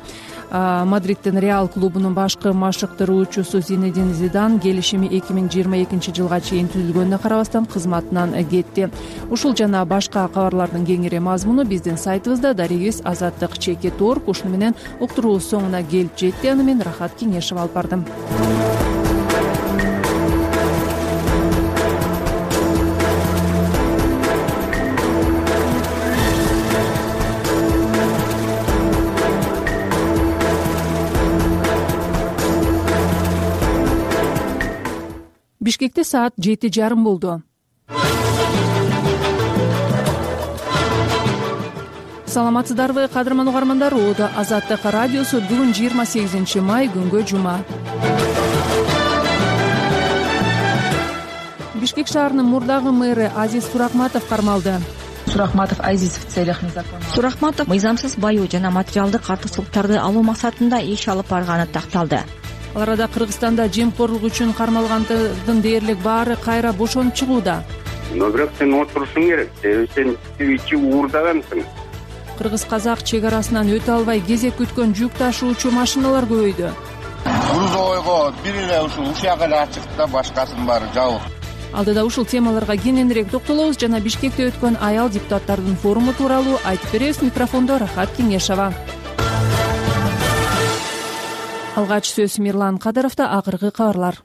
Speaker 2: Мадридтин Реал клубунун башкы машыктыруучусу Зинедин Зидан келишими эки миң жыйырма экинчи жылга чейин түзүлгөнүнө карабастан кызматынан кетти. Ушул жана башка кабарлардын кеңири мазмуну биздин сайтыбызда. Дарегибиз азаттык чекит точка орг. Ушуну менен уктуруубуз соңуна келип жетти. Аны мен Рахат Кеңешева алып бардым. Бишкекте саат жети жарым болду. Саламатсыздарбы, кадырман угармандар? Оодо Азаттык радиосу бүгүн жыйырма сегизинчи май, күнгө жума. Бишкек шаарынын мурдагы мэрі Азиз Суракматов кармалды.
Speaker 3: Суракматов Азиз в целях незаконного.
Speaker 8: Суракматов мыйзамсыз байоо жана материалдык артыкчылыктарды алуу максатында иш алып барганы такталды.
Speaker 2: Ал арада Кыргызстанда жемкорлук үчүн кармалгандардын дээрлик баары кайра бошонуп чыгууда.
Speaker 10: Но бирок сен отурушуң керек, себеби сен ичи уурдагансың.
Speaker 2: Кыргыз-казак чек арасынан өтө албай кезек күткөн жүк ташуучу машиналар көбөйдү.
Speaker 10: Грузовойго бир эле ушул ушак эле ачыкты да, башкасынын баары жабык.
Speaker 2: Алдыда ушул темаларга кененирээк токтолобуз жана Бишкекте өткөн аял депутаттардын форуму тууралуу айтып беребиз. Микрофондо Рахат Кеңешева. Алгач сөз Мирлан Кадыровдо. Акыркы кабарлар.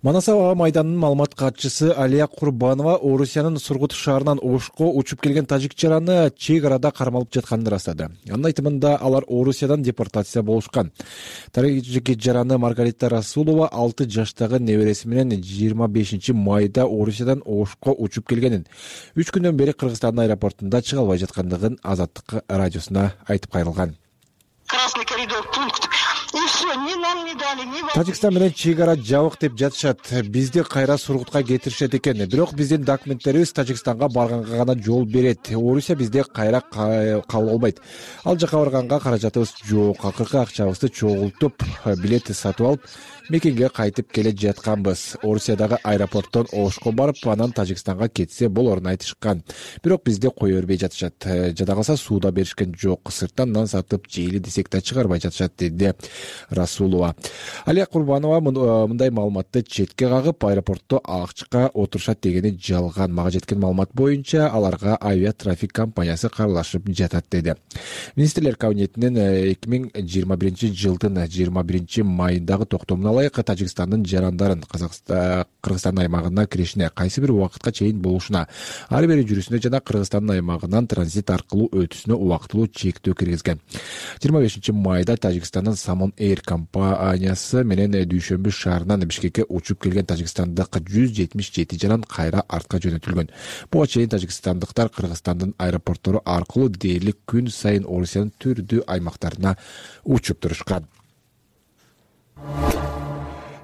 Speaker 11: Манас аба майданынын маалымат катчысы Алия Курбанова Орусиянын Сургут шаарынан Ошко учуп келген тажик жараны чек арада кармалып жатканын ырастады. Анын айтымында алар Орусиядан депортация болушкан. Тажик жараны Маргарита Расулова алты жаштагы небереси менен жыйырма бешинчи майда Орусиядан Ошко учуп келгенин, үч күндөн бери Кыргызстандын аэропортунда чыга албай жаткандыгын Азаттык радиосуна айтып кайрылган.
Speaker 12: Красный коридор, пункт. И все, ни нам не дали, ни вам.
Speaker 11: Тажикстан менен чек ара жабык деп жатышат. Бизди кайра Сургутка кетиришет экен. Бирок биздин документтерибиз Тажикстанга барганга гана жол берет. Орусия бизди кайра кабыл албайт. Ал жака барганга каражатыбыз жок. Акыркы акчабызды чогултуп, билет сатып алып, мекенге кайтып келе жатканбыз. Орусиядагы аэропорттон Ошко барып, анан Тажикстанга кетсе болорун айтышкан. Бирок бизди кое бербей жатышат. Жада калса сууда беришкен жок. Сырттан нан сатып жейли десек да чыгарбай жатышат, деди Расулова. Алия Курбанова мындай маалыматты четке кагып, аэропортто акчка отурушат дегени жалган. Мага жеткен маалымат боюнча аларга авиатрафик компаниясы каралашып жатат, деди. Министрлер кабинетинин эки миң жыйырма биринчи жылдын жыйырма биринчи майындагы токтомуна ылайык Тажикстандын жарандарын Кыргызстан аймагына киришине кайсы бир убакытка чейин болушуна, ар бери жүрүшүнө жана Кыргызстандын аймагынан транзит аркылуу өтүшүнө убактылуу чектөө киргизген. жыйырма бешинчи майда Тажикстандын Самон Эйр компаниясы менен Дүйшөмбү шаарынан Бишкекке учуп келген тажикстандык жүз жетимиш жети жаран кайра артка жөнөтүлгөн. Буга чейин тажикстандыктар Кыргызстандын аэропорттору аркылуу дээрлик күн сайын Орусиянын түрдүү аймактарына учуп турушкан.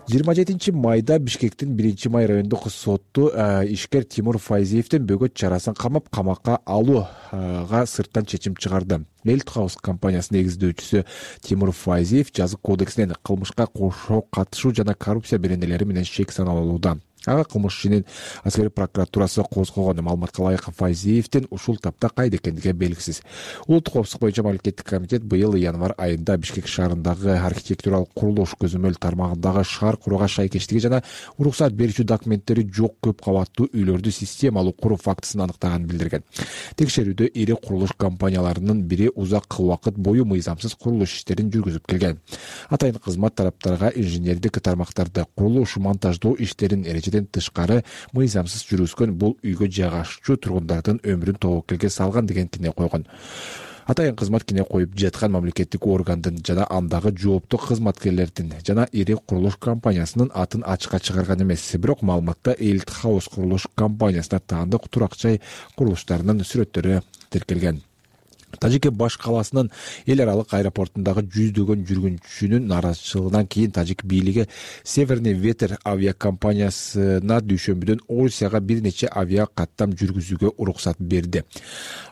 Speaker 11: жыйырма жетинчи майда Бишкектин биринчи май райондук соту ишкер Тимур Файзиевдин бөгөт чарасын камап камакка алууга сырттан чечим чыгарды. Мелт Хаус компаниясынын негиздөөчүсү Тимур Файзиев жазык кодексинен кылмышка кошо катышуу жана коррупция беренелери менен шек саналууда. Ага кылмыш ишинин аскери прокуратурасы козгогон. Маалыматка ылайык Файзиевдин ушул тапта кайда экендиги белгисиз. Улуттук коопсуздук боюнча мамлекеттик комитет быйыл январь айында Бишкек шаарындагы архитектуралык курулуш көзөмөл тармагындагы шаар курууга шайкештиги жана уруксат берүүчү документтери жок көп кабаттуу үйлөрдү системалуу куруу фактысын аныктаганын билдирген. Текшерүүдө ири курулуш компанияларынын бири узак убакыт бою мыйзамсыз курулуш иштерин жүргүзүп келген. Атайын кызмат тараптарга инженердик тармактарды курулуш монтаждоо иштерин эрежеден тышкары мыйзамсыз жүргүзгөн, бул үйгө жайгашчу тургундардын өмүрүн тобокелге салган деген кине койгон. Атайын кызмат кине коюп жаткан мамлекеттик органдын жана андагы жооптуу кызматкерлердин жана ири курулуш компаниясынын атын ачыкка чыгарган эмес. Бирок маалыматта Мелт Хаус курулуш компаниясына таандык турак жай курулуштарынын сүрөттөрү тиркелген. Тажике баш каласынын эл аралык аэропортундагы жүздөгөн жүргүнчүнүн нааразычылыгынан кийин тажик бийлиги Северный ветер авиакомпаниясына дүйшөмбүдөн Орусияга бир нече авиа каттам жүргүзүүгө уруксат берди.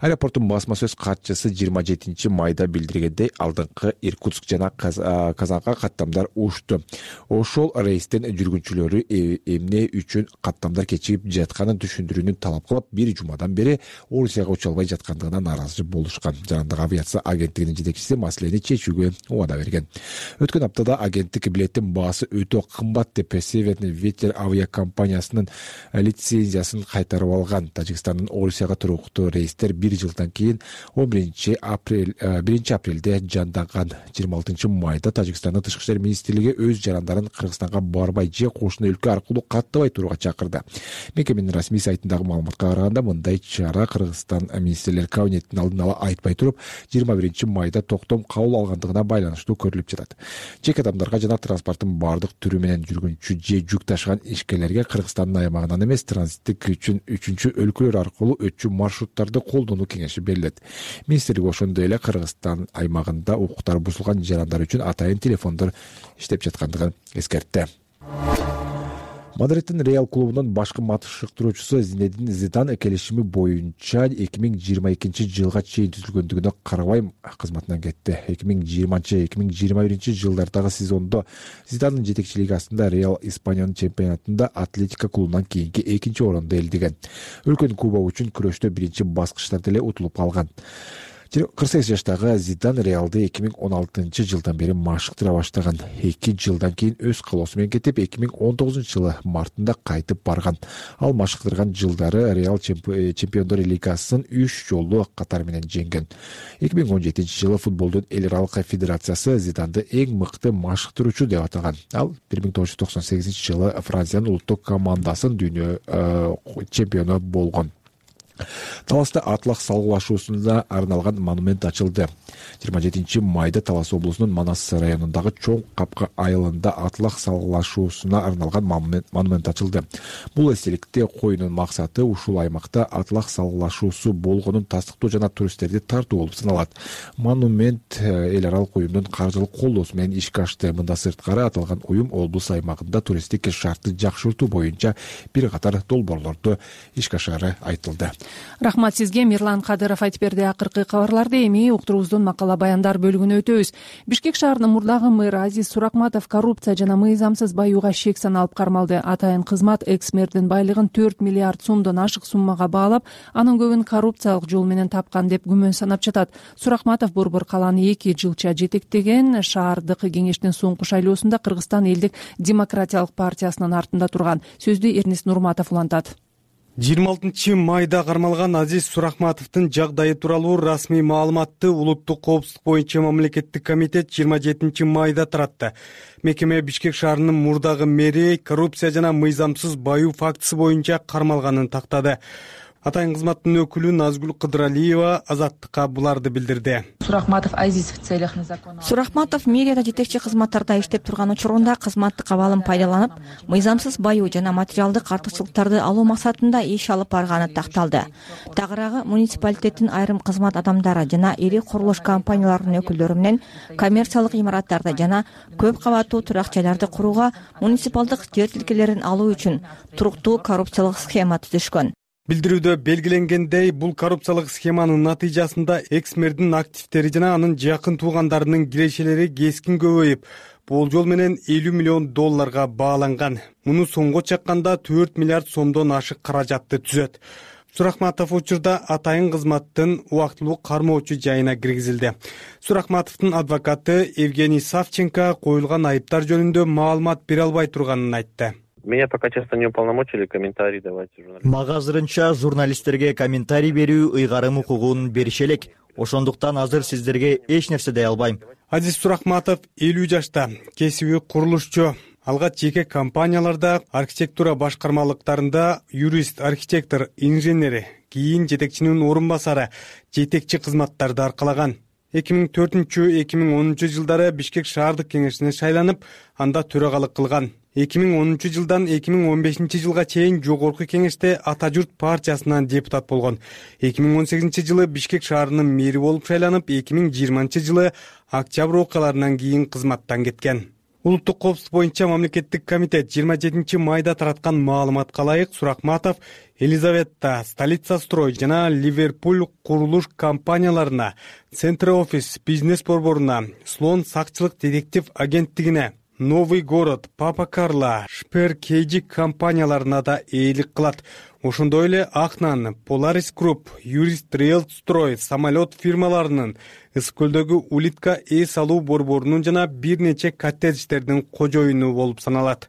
Speaker 11: Аэропорттун басма сөз катчысы жыйырма жетинчи майда билдиргендей, алдыңкы Иркутск жана Казанга каттамдар уучту. Ошол рейстен жүргүнчүлөрү эмне үчүн каттамдар кечигип жатканын түшүндүрүүнү талап кылып, бир жумадан бери Орусияга уча албай жаткандыгына нааразы болушкан. Жарандык авиация агенттигинин жетекчиси маселени чечүүгө убада берген. Өткөн аптада агенттик билеттин баасы өтө кымбат деп Северный ветер авиакомпаниясынын лицензиясын кайтарып алган. Тажикстандын Орусияга туруктуу рейстер бир жылдан кийин он биринчи апрелде жанданган. жыйырма алтынчы майда Тажикстандын тышкы иштер министрлиги өз жарандарын Кыргызстанга барбай же кошуна өлкө аркылуу каттабай турууга чакырды. Мекеменин расмий сайтындагы маалыматка караганда, мындай чара Кыргызстан министрлер кабинетинин алдын ала айтпай туруп, жыйырма биринчи майда токтом кабыл алгандыгына байланыштуу көрүлүп жатат. Жеке адамдарга жана транспорттун бардык түрү менен жүргүнчү же жүк ташыган ишкерлерге Кыргызстандын аймагынан эмес, транзиттик үчүн үчүнчү өлкөлөр аркылуу өтчү маршруттарды колдонуу кеңеши берилет. Министрлик ошондой эле Кыргызстан аймагында укуктары бузулган жарандар үчүн атайын телефондор иштеп жаткандыгын эскертти. Мадридтин Реал клубунун башкы матыштыруучусу Зинедин Зидан келишими боюнча эки миң жыйырма экинчи жылга чейин түзүлгөндүгүнө карабай кызматынан кетти. эки миң жыйырманчы эки миң жыйырма биринчи жылдардагы сезондо Зидандын жетекчилиги астында Реал Испаниянын чемпионатында Атлетико клубунан кийинки экинчи орондо элдиген. Өлкөнүн кубогу үчүн күрөштө биринчи баскычтарда эле утулуп калган. кырк сегиз жаштагы Зидан Реалды эки миң он алтынчы жылдан бери машыктыра баштаган. эки жылдан кийин өз калоосу менен кетип, эки миң он тогузунчу жылы мартында кайтып барган. Ал машыктырган жылдары Реал Чемпиондор лигасын үч жолу катар менен жеңген. эки миң он жетинчи жылы футболдун эл аралык федерациясы Зиданды эң мыкты машыктыруучу деп атаган. Ал бир миң тогуз жүз токсон сегизинчи жылы Франциянын улуттук командасын дүйнө чемпиону болгон. Таласта атлах салгылашуусуна арналган монумент ачылды. жыйырма жетинчи майда Талас облусунун Манас районундагы Чоң Капка айылында атлах салгылашуусуна арналган монумент ачылды. Бул эстеликте коюнун максаты ушул аймакта атлах салгылашуусу болгонун тастыктоо жана туристтерди тартуу болуп саналат. Монумент эл аралык уюмдун каржылык колдоосу менен ишке ашты. Мында сырткары аталган уюм облус аймагында туристтик шартты жакшыртуу боюнча бир катар долбоорлорду ишке ашары айтылды.
Speaker 2: Рахмат сизге, Мирлан Кадыров айтып берди. Акыркы кабарларды эми уктуруубуздун макала баяндар бөлүгүнө өтөбүз. Бишкек шаарынын мурдагы мэрі Азиз Суракматов коррупция жана мыйзамсыз баюуга шек саналып кармалды. Атайын кызмат экс-мэрдин байлыгын төрт миллиард сомдон ашык суммага баалап, анын көбүн коррупциялык жол менен тапкан деп күмөн санап жатат. Суракматов Борбор калааны эки жылча жетектеген. Шаардык кеңештин соңку шайлоосунда Кыргызстан элдик демократиялык партиясынын артында турган. Сөздү Эрнис Нурматов улантат.
Speaker 31: жыйырма алтынчы майда кармалган Азиз Суракматовдун жагдайы тууралуу расмий маалыматты Улуттук коопсуздук боюнча мамлекеттик комитет жыйырма жетинчи майда таратты. Мекеме Бишкек шаарынын мурдагы мэри коррупция жана мыйзамсыз баюу фактысы боюнча кармалганын тактады. Атайын кызматтын өкүлү Назгүл Кыдыралиева Азаттыкка буларды билдирди.
Speaker 3: Суракматов Азиз в целях незаконного.
Speaker 8: Суракматов мэрияда жетекчи кызматтарда иштеп турган учурунда кызматтык абалын пайдаланып, мыйзамсыз баюу жана материалдык артыкчылыктарды алуу максатында иш алып барганы такталды. Тагыраагы муниципалитеттин айрым кызмат адамдары жана ири курулуш компанияларынын өкүлдөрү менен коммерциялык имараттарды жана көп кабаттуу турак жайларды курууга, муниципалдык жер тилкелерин алуу үчүн туруктуу коррупциялык схема түзүшкөн.
Speaker 31: Билдирүүдө белгиленгендей, бул коррупциялык схеманын натыйжасында экс-мэрдин активдери жана анын жакын туугандарынын кирешелери кескин көбөйүп, болжол менен элүү миллион долларга бааланган. Муну сомго чакканда төрт миллиард сомдон ашык каражатты түзөт. Суракматов учурда атайын кызматтын убактылуу кармоочу жайына киргизилди. Суракматовдун адвокаты Евгений Савченко коюлган айыптар жөнүндө маалымат бере албай турганын айтты.
Speaker 1: Меня пока честно не уполномочили комментарий давать журналистам.
Speaker 4: Мага азырынча журналисттерге комментарий берүү ыйгарым укугун бериши элек. Ошондуктан азыр сиздерге эч нерсе дей албайм.
Speaker 31: Азиз Суракматов элүү жашта, кесиби курулушчу. Алгач жеке компанияларда, архитектура башкармалыктарында юрист, архитектор, инженери, кийин жетекчинин орун басары, жетекчи кызматтарды аркалаган. эки миң төртүнчү эки миң онунчу жылдары Бишкек шаардык кеңешине шайланып, анда төрагалык кылган. эки миң онунчу жылдан эки миң он бешинчи жылга чейин жогорку кеңеште Ата журт партиясынан депутат болгон. эки миң он сегизинчи жылы Бишкек шаарынын мэри болуп шайланып, эки миң жыйырманчы жылы октябрь окуяларынан кийин кызматтан кеткен. Улуттук коопсуздук боюнча мамлекеттик комитет жыйырма жетинчи майда тараткан маалыматка ылайык Суракматов Елизавета, Столица строй жана Ливерпуль курулуш компанияларына, Центр офис бизнес борборуна, Слон сакчылык детектив агенттигине, Новый город, Папа Карло, Шпер Кейджи компанияларына да ээлик кылат. Ошондой эле Ахнан, Polaris Group, Юрист Рейл строй самолет фирмаларынын, Ысык көлдөгү Улитка эс алуу борборунун жана бир нече коттедждердин кожоюну болуп саналат.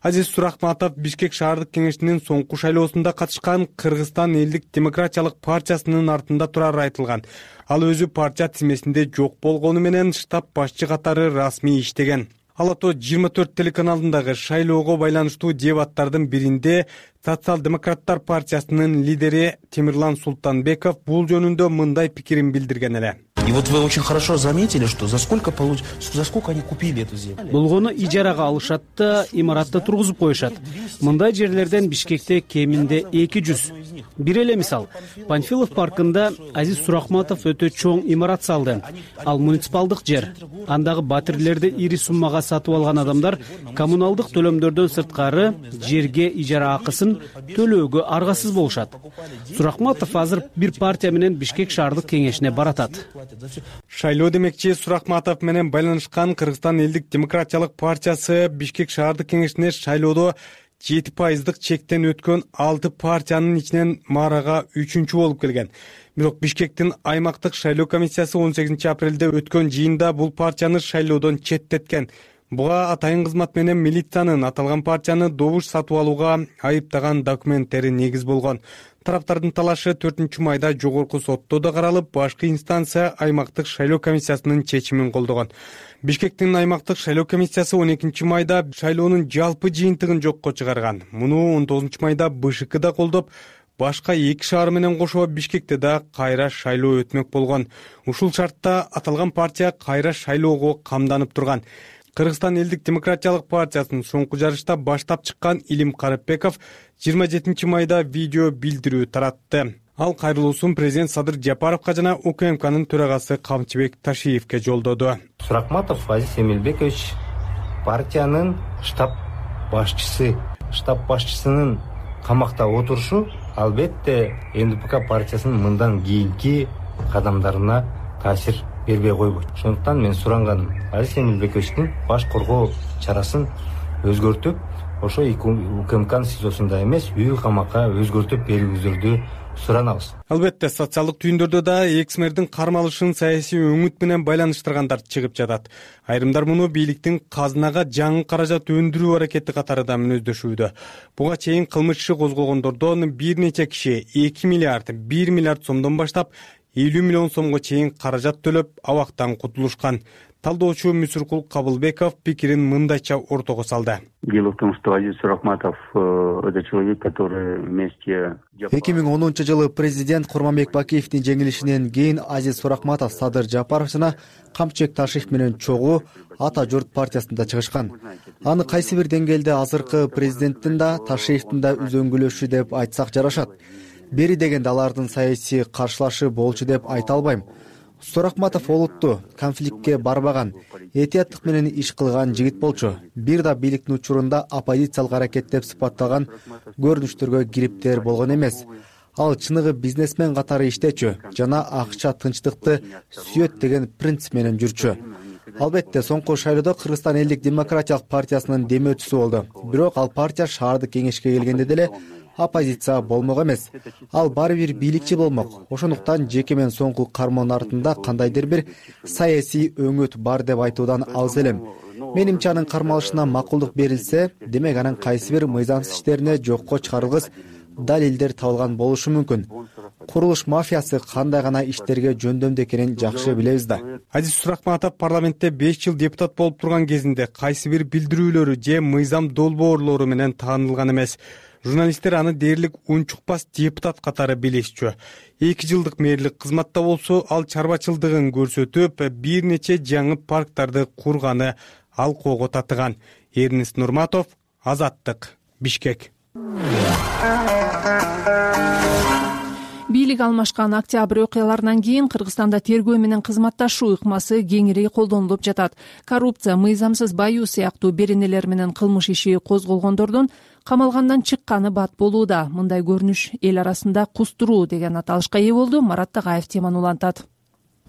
Speaker 31: Азиз Суракматов Бишкек шаардык кеңешинин соңку шайлоосунда катышкан Кыргызстан элдик демократиялык партиясынын артында турары айтылган. Ал өзү партия тизмесинде жок болгону менен штаб башчы катары расмий иштеген. Ал ото жыйырма төрт телеканалындагы шайлоого байланыштуу дебаттардын биринде Социал-демократтар партиясынын лидери Темирлан Султанбеков бул жөнүндө мындай пикирин билдирген эле.
Speaker 13: И вот вы очень хорошо заметили, что за сколько получ... за сколько они купили эту землю?
Speaker 14: Болгону ижарага алышат да, имаратты тургузуп коюшат. Мындай жерлерден Бишкекте кеминде эки жүз. Бир эле мисал, Панфилов паркында Азиз Суракматов өтө чоң имарат салды. Ал муниципалдык жер. Андагы батирлерди ири суммага сатып алган адамдар коммуналдык төлөмдөрдөн сырткары жерге ижара акысын төлөөгө аргасыз болушат. Суракматов азыр бир партия менен Бишкек шаардык кеңешине баратат.
Speaker 31: Шайлоо демекчи Суракматов менен байланышкан Кыргызстан элдик демократиялык партиясы Бишкек шаардык кеңешине шайлоодо жети пайыздык чектен өткөн алты партиянын ичинен маарага үчүнчү болуп келген. Бирок Бишкектин аймактык шайлоо комиссиясы он сегизинчи апрелде өткөн жыйында бул партияны шайлоодон четтеткен. Буга атайын кызмат менен милициянын аталган партияны добуш сатып алууга айыптаган документтери негиз болгон. Тараптардын талашы төртүнчү майда жогорку сотто да каралып, башкы инстанция аймактык шайлоо комиссиясынын чечимин колдогон. Бишкектин аймактык шайлоо комиссиясы он экинчи майда шайлоонун жалпы жыйынтыгын жокко чыгарган. Муну он тогузунчу майда БШК да колдоп, башка эки шаар менен кошо Бишкекте да кайра шайлоо өтмөк болгон. Ушул шартта аталган партия кайра шайлоого камданып турган. Кыргызстан элдик демократиялык партиясынын соңку жарышта баштап чыккан Илим Карыпбеков жыйырма жетинчи майда видео билдирүү таратты. Ал кайрылуусун президент Садыр Жапаровго жана УКМКнын төрагасы Камчыбек Ташиевке жолдоду.
Speaker 15: Суракматов Азиз Эмилбекович партиянын штаб башчысы. Штаб башчысынын камакта отурушу албетте эн дэ пэ ка партиясынын мындан кийинки кадамдарына таасир бербей койбойт. Ошондуктан мен суранганым Азиз Эмилбековичтин баш коргоо чарасын өзгөртүп, ошо УКМКнын сизосунда эмес, үй камакка өзгөртүп берүүңүздөрдү суранабыз.
Speaker 31: Албетте социалдык түйүндөрдө да экс-мэрдин кармалышын саясий өңүт менен байланыштыргандар чыгып жатат. Айрымдар муну бийликтин казынага жаңы каражат өндүрүү аракети катары да мүнөздөшүүдө. Буга чейин кылмыш иши козголгондордон бир нече киши эки миллиард, бир миллиард сомдон баштап элүү миллион сомго чейин каражат төлөп абактан кутулушкан. Талдоочу Мүсүркул Кабылбеков пикирин мындайча ортого салды.
Speaker 16: Дело в том, что Азиз Суракматов это человек, который вместе...
Speaker 17: эки миң онунчу жылы президент Курманбек Бакиевдин жеңилишинен кийин Азиз Суракматов Садыр Жапаров жана Камчыбек Ташиев менен чогуу Ата журт партиясында чыгышкан. Аны кайсы бир деңгээлде азыркы президенттин да, Ташиевдин да үзөңгүлөшү деп айтсак жарашат. Бери дегенде алардын саясий каршылашы болчу деп айта албайм. Суракматов олутту, конфликтке барбаган, этияттык менен иш кылган жигит болчу. Бир да бийликтин учурунда оппозициялык аракет деп сыпатталган көрүнүштөргө кириптер болгон эмес. Ал чыныгы бизнесмен катары иштечү жана акча тынчтыкты сүйөт деген принцип менен жүрчү. Албетте соңку шайлоодо Кыргызстан элдик демократиялык партиясынын демөөчүсү болду. Бирок ал партия шаардык кеңешке келгенде деле оппозиция болмок эмес. Ал баары бир бийликчи болмок. Ошондуктан жеке мен соңку кармоонун артында кандайдыр бир саясий өңүт бар деп айтуудан алыс элем. Менимче анын кармалышына макулдук берилсе, демек анын кайсы бир мыйзамсыз иштерине жокко чыгарылгыс далилдер табылган болушу мүмкүн. Курулуш мафиясы кандай гана иштерге жөндөмдүү экенин жакшы билебиз да.
Speaker 31: Азиз Суракматов парламентте беш жыл депутат болуп турган кезинде кайсы бир билдирүүлөрү же мыйзам долбоорлору менен таанылган эмес. Журналисттер аны дээрлик унчукпас депутат катары билишчү. эки жылдык мэрлик кызматта болсо, ал чарбачылдыгын көрсөтүп, бир нече жаңы парктарды курганы алкоого татыган. Эрнест Нурматов, Азаттык, Бишкек.
Speaker 2: Бийлик алмашкан октябрь окуяларынан кийин Кыргызстанда тергөө менен кызматташуу ыкмасы кеңири колдонулуп жатат. Коррупция, мыйзамсыз баюу сыяктуу беренелер менен кылмыш иши козголгондордун камалгандан чыкканы бат болууда. Мындай көрүнүш эл арасында кустуруу деген аталышка ээ болду. Марат Тагаев теманы улантат.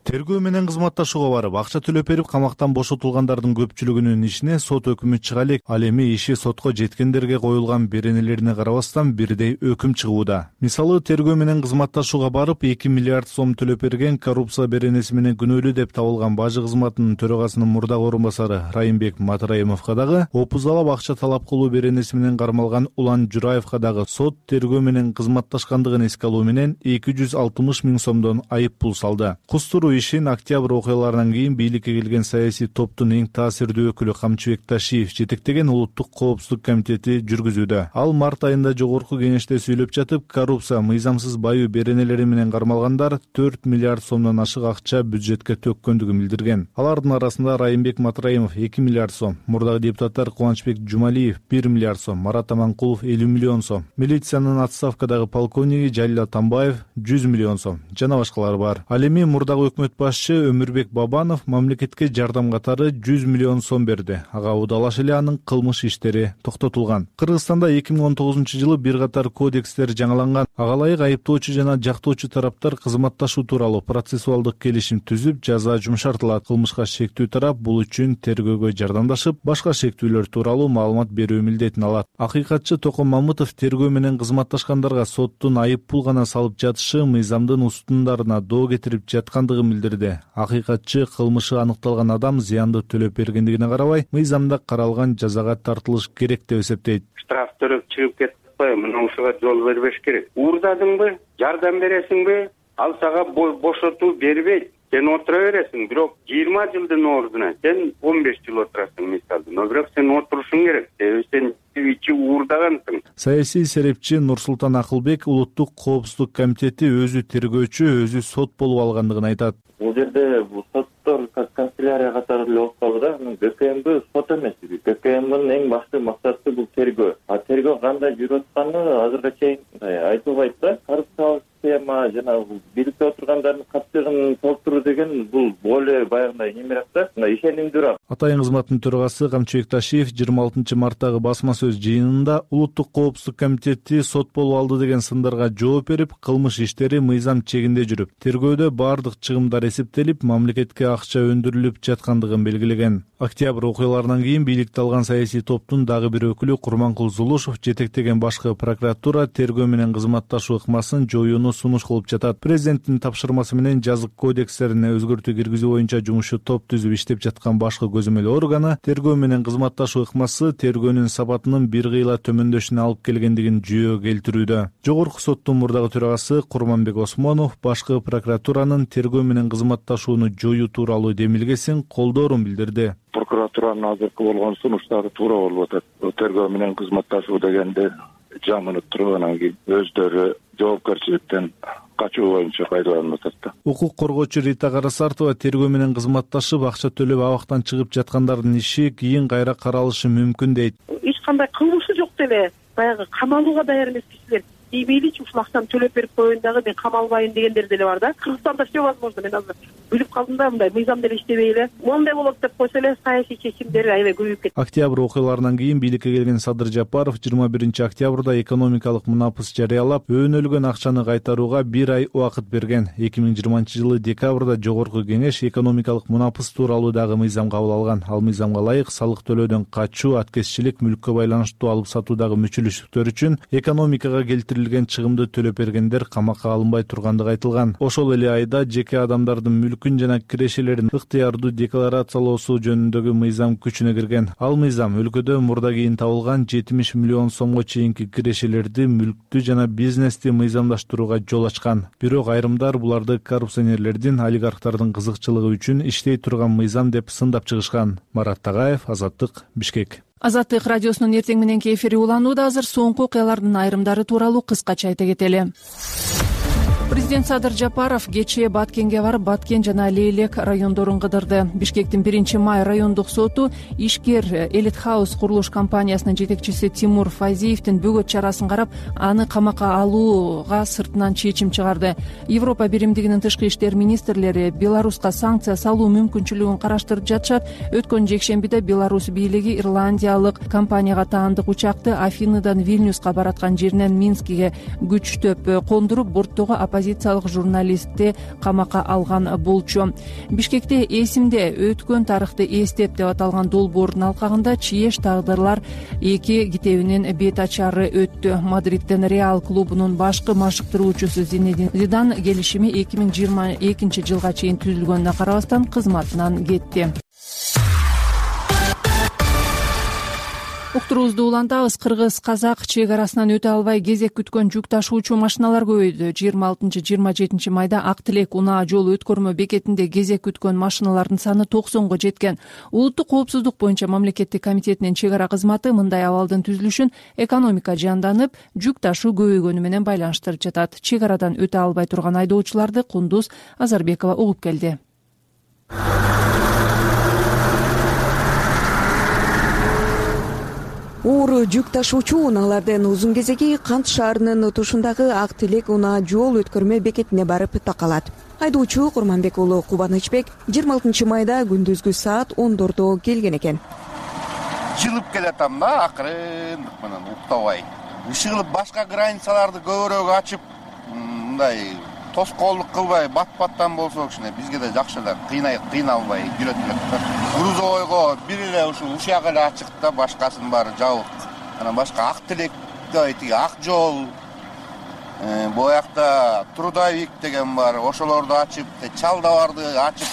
Speaker 5: Тергөө менен кызматташууга барып, акча төлөп берип, камактан бошотулгандардын көпчүлүгүнүн ишине сот өкүмү чыга элек. Ал эми иши сотко жеткендерге коюлган беренелерине карабастан бирдей өкүм чыгууда. Мисалы, тергөө менен кызматташууга барып, эки миллиард сом төлөп берген, коррупция беренеси менен күнөөлүү деп табылган бажы кызматынын төрагасынын мурдагы орун басары Райымбек Матраимовго дагы, опузалап акча талап кылуу беренеси менен кармалган Улан Жураевго дагы сот тергөө менен кызматташкандыгын эске алуу менен эки жүз алтымыш миң сомдон айып пул салды. Кустуруу ишин октябрь окуяларынан кийин бийликке келген саясий топтун эң таасирдүү өкүлү Камчыбек Ташиев жетектеген улуттук коопсуздук комитети жүргүзүүдө. Ал март айында жогорку кеңеште сүйлөп жатып, коррупция, мыйзамсыз баюу беренелери менен кармалгандар төрт миллиард сомдон ашык акча бюджетке төккөндүгүн билдирген. Алардын арасында Райымбек Матраимов эки миллиард сом, мурдагы депутаттар Кубанычбек Жумалиев бир миллиард сом, Марат Аманкулов элүү миллион сом, милициянын отставкадагы полковниги Жалил Атамбаев жүз миллион сом жана башкалар бар. Ал эми мурдагы өкмөт башчы Өмүрбек Бабанов мамлекетке жардам катары жүз миллион сом берди. Ага удалаш эле анын кылмыш иштери токтотулган. Кыргызстанда эки миң он тогузунчу жылы бир катар кодекстер жаңыланган. Ага ылайык айыптоочу жана жактоочу тараптар кызматташуу тууралуу процессуалдык келишим түзүп, жаза жумшартылат. Кылмышка шектүү тарап бул үчүн тергөөгө жардамдашып, башка шектүүлөр тууралуу маалымат берүү милдетин алат. Акыйкатчы Токон Мамытов тергөө менен кызматташкандарга соттун айып пул гана салып жатышы мыйзамдын устундарына доо кетирип жаткандыгын билдирди. Акыйкатчы кылмышы аныкталган адам зыянды төлөп бергендигине карабай, мыйзамда каралган жазага тартылыш керек деп эсептейт.
Speaker 10: Штраф төлөп чыгып кетип атпайбы, мынусуга жол бербеш керек. Уурдадыңбы, жардам бересиңби, ал сага бошотуу бербейт. Сен отура бересиң, бирок жыйырма жылдын ордуна сен он беш жыл отурасың мисалда. Но бирок сен отурушуң керек. Себеби сен ичи уурдагансың.
Speaker 5: Саясий серепчи Нурсултан Акылбек улуттук коопсуздук комитети өзү тергөөчү, өзү сот болуп алгандыгын айтат.
Speaker 6: Бул жерде бул соттор канцелярия катары эле болуп калды да. ГКМБ сот эмес. ГКМБнын эң башкы максаты бул тергөө. А тергөө кандай жүрүп атканы азыркыга чейин айтылбайт да. Коррупциялык схема жана бийликте отургандардын каттыгын толтуруу деген бул более баягындай немерээк да, ишенимдүүрөөк.
Speaker 5: Атайын кызматтын төрагасы Камчыбек Ташиев жыйырма алтынчы марттагы басма сөз жыйынында улуттук коопсуздук комитети сот болуп алды деген сындарга жооп берип, кылмыш иштери мыйзам чегинде жүрүп, тергөөдө баардык чыгымдар эсептелип, мамлекетке акча өндүрүлүп жаткандыгын белгилеген. Октябрь окуяларынан кийин бийликти алган саясий топтун дагы бир өкүлү Курманкул Зулушев жетектеген башкы прокуратура тергөө менен кызматташуу ыкмасын жоюуну сунуш кылып жатат. Президенттин тапшырмасы менен жазык кодекстерине өзгөртүү киргизүү боюнча жумушу топ түзүп иштеп жаткан башкы көзөмөл органы тергөө менен кызматташуу ыкмасы тергөөнүн сапатынын бир кыйла төмөндөшүнө алып келгендигин жүйөгө келтирүүдө. Жогорку соттун мурдагы төрагасы Курманбек Осмонов башкы прокуратуранын тергөө менен кызматташууну жоюу тууралуу демилгесин колдоорун билдирди.
Speaker 7: Прокуратуранын азыркы болгон сунуштары туура болуп атат. Тергөө менен кызматташуу дегенде жамынып туруп анан кийин өздөрү жоопкерчиликтен качуу боюнча пайдаланып атат.
Speaker 5: Укук коргоочу Рита Карасартова тергөө менен кызматташып акча төлөп абактан чыгып жаткандардын иши кийин кайра каралышы мүмкүн дейт.
Speaker 9: Эч кандай кылмышы жок деле баягы камалууга даяр эмес кишилер мейличи ушул акчаны төлөп берип коеюн дагы мен камалбайын дегендер деле бар да. Кыргызстанда все возможно. Мен азыр билип калдым да, мындай мыйзам деле иштебей эле моундай болот деп койсо эле саясий чечимдер аябай көбөйүп кетти.
Speaker 5: Октябрь окуяларынан кийин бийликке келген Садыр Жапаров жыйырма биринчи октябрда экономикалык мунапыс жарыялап, өөнөлгөн акчаны кайтарууга бир ай убакыт берген. эки миң жыйырманчы жылы декабрда жогорку кеңеш экономикалык мунапыс тууралуу дагы мыйзам кабыл алган. Ал мыйзамга ылайык салык төлөөдөн качуу, аткезчилик, мүлккө байланыштуу алып сатуудагы мүчүлүштүктөр үчүн экономикага келтирилген чыгымды төлөп бергендер камакка алынбай тургандыгы айтылган. Ошол эле айда жеке адамдардын мүлкүн жана кирешелерин ыктыярдуу декларациялоосу жөнүндөгү мыйзам күчүнө кирген. Ал мыйзам өлкөдө мурда кийин табылган жетимиш миллион сомго чейинки кирешелерди, мүлктү жана бизнести мыйзамдаштырууга жол ачкан. Бирок айрымдар буларды коррупционерлердин, олигархтардын кызыкчылыгы үчүн иштей турган мыйзам деп сындап чыгышкан. Марат Тагаев, Азаттык, Бишкек.
Speaker 2: Азаттык радиосунун эртең мененки эфири уланууда. Азыр соңку окуялардын айрымдары тууралуу кыскача айта кетели. Президент Садыр Жапаров кечээ Баткенге барып, Баткен жана Лейлек райондорун кыдырды. Бишкектин биринчи май райондук соту ишкер Элит Хаус курулуш компаниясынын жетекчиси Тимур Файзиевдин бөгөт чарасын карап, аны камакка алууга сыртынан чечим чыгарды. Европа биримдигинин тышкы иштер министрлери Беларуска санкция салуу мүмкүнчүлүгүн караштырып жатышат. Өткөн жекшембиде Беларусь бийлиги ирландиялык компанияга таандык учакты Афиныдан Вильнюска бараткан жеринен Минскиге күчтөп кондуруп, борттогу оппозициялык журналистти камакка алган болчу. Бишкекте эсимде өткөн тарыхты эстеп деп аталган долбоордун алкагында чиеш тагдырлар эки китебинин бет ачары өттү. Мадридден Реал клубунун башкы машыктыруучусу Зинедин Зидан келишими эки миң жыйырма экинчи жылга чейин түзүлгөнүнө карабастан кызматынан кетти. Уктуруубузду улантабыз. Кыргыз-казак чек арасынан өтө албай кезек күткөн жүк ташуучу машиналар көбөйдү. жыйырма алтынчы жыйырма жетинчи майда Ак Тилек унаа жол өткөрмө бекетинде кезек күткөн машиналардын саны токсонго жеткен. Улуттук коопсуздук боюнча мамлекеттик комитетинин чек ара кызматы мындай абалдын түзүлүшүн экономика жанданып, жүк ташуу көбөйгөнү менен байланыштырып жатат. Чек арадан өтө албай турган айдоочуларды Кундуз Азарбекова угуп келди.
Speaker 18: Оор жүк ташуучу унаалардын узун кезеги Кант шаарынын тушундагы Ак Тилек унаа жол өткөрмө бекетине барып такалат. Айдоочу Курманбек уулу Кубанычбек жыйырма алтынчы майда күндүзгү саат ондордо келген экен.
Speaker 19: Жылып келатам да, акырындык менен уктабай. Ишыгылып башка границаларды көбүрөөк ачып, мындай тоскоолдук кылбай, бат-баттан болсо кичине бизге да жакшы эле, кыйнай кыйналбай жүрөт элек. Грузовойго бир эле ушул ушак эле ачык да, башкасынын баары жабык. Анан башка Ак Тилек тиги Ак жол, боякта Трудовик деген бар, ошолорду ачып, Чалдабарды ачып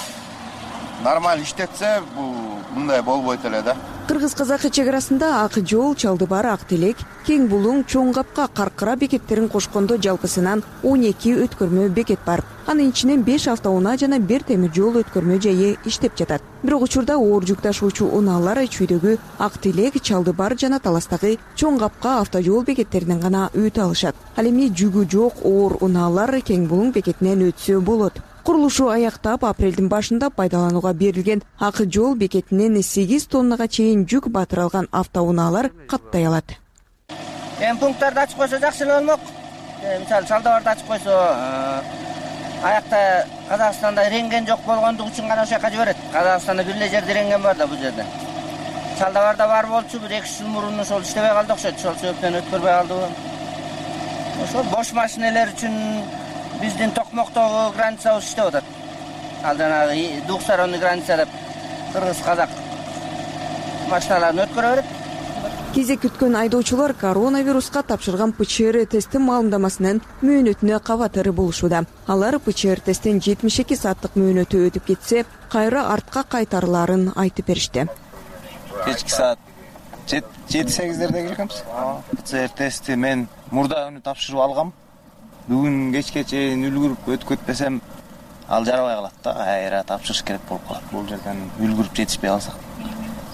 Speaker 19: нормаль иштетсе, бул мындай болбойт эле да.
Speaker 18: Кыргыз-казак чек арасында Ак жол, Чалдыбар, Ак Тилек, Кең Булуң, Чоң Капка, Каркыра бекеттерин кошкондо жалпысынан он эки өткөрмө бекет бар. Анын ичинен беш автоунаа жана бир темир жол өткөрмө жайы иштеп жатат. Бирок учурда оор жүк ташуучу унаалар чүйдөгү Ак Тилек, Чалдыбар жана Таластагы Чоң Капка автожол бекеттеринен гана өтө алышат. Ал эми жүгү жок оор унаалар Кең Булуң бекетинен өтсө болот. Курулушу аяктап, апрелдин башында пайдаланууга берилген Ак жол бекетинен сегиз тоннага чейин жүк батыра алган автоунаалар каттай алат.
Speaker 20: Эми пункттарды ачып койсо жакшы эле болмок. Мисалы Чалдыбарды ачып койсо, аякта Казакстанда рентген жок болгондугу үчүн гана ошол жака жиберет. Казакстанда бир эле жерде рентген бар да бул жерде. Чалдыбарда бар болчу, бир эки жыл мурун ошол иштебей калды окшойт. Ошол себептен өткөрбөй калды. Ошол бош машинелер үчүн биздин Токмоктогу границабыз иштеп атат. Ал жанагы двухсторонний граница деп кыргыз-казак машиналарын өткөрө берет.
Speaker 18: Кезек күткөн айдоочулар коронавируска тапшырган ПЧР тести маалымдамасынын мөөнөтүнө кабатыр болушууда. Алар ПЧР тесттен жетимиш эки сааттык мөөнөтү өтүп кетсе, кайра артка кайтарыларын айтып беришти.
Speaker 21: Кечки саат жети сегиздерде келгенбиз. ПЧР тести мен мурда күнү тапшырып алгам. Бүгүн кечке чейин үлгүрүп өткөтпесем, ал жарабай калат да, кайра тапшырыш керек болуп калат. Бул жерден үлгүрүп жетишпей калсак,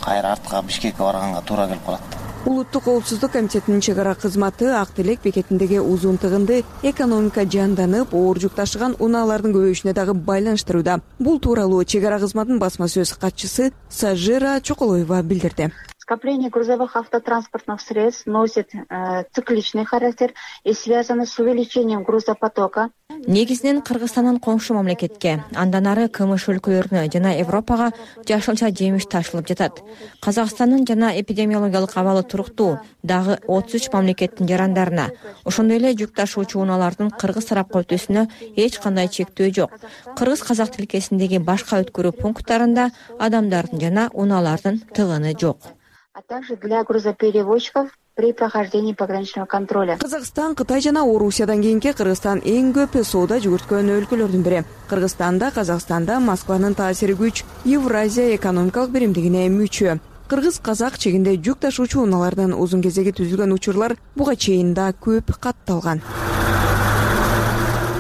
Speaker 21: кайра артка Бишкекке барганга туура келип калат.
Speaker 18: Улуттук коопсуздук комитетинин чек ара кызматы Ак Тилек бекетиндеги узун тыгынды экономика жанданып, оор жүк ташыган унаалардын көбөйүшүнө дагы байланыштырууда. Бул тууралуу чек ара кызматынын басма сөз катчысы Сажира Чоколоева билдирди.
Speaker 22: Скопление грузовых автотранспортных средств носит э, цикличный характер и связано с увеличением грузопотока.
Speaker 8: Негизинен Кыргызстандан коңшу мамлекетке, андан ары КМШ өлкөлөрүнө жана Европага жашылча жемиш ташылып жатат. Казакстандын жана эпидемиологиялык абалы туруктуу, дагы отуз үч мамлекеттин жарандарына, ошондой эле жүк ташуучу унаалардын Кыргыз тарапка өтүүсүнө эч кандай чектөө жок. Кыргыз-казак тилкесиндеги башка өткөрүү пункттарында адамдардын жана унаалардын тыгыны жок.
Speaker 22: А также для грузоперевозчиков при прохождении пограничного контроля.
Speaker 18: Казакстан, Кытай жана Орусиядан кийинки Кыргызстан эң көп соода жүгүрткөн өлкөлөрдүн бири. Кыргызстанда, Казакстанда Москванын таасири күч Евразия экономикалык биримдигине мүчө. Кыргыз-казак чегинде жүк ташуучу унаалардын узун кезеги түзүлгөн учурлар буга чейин да көп катталган.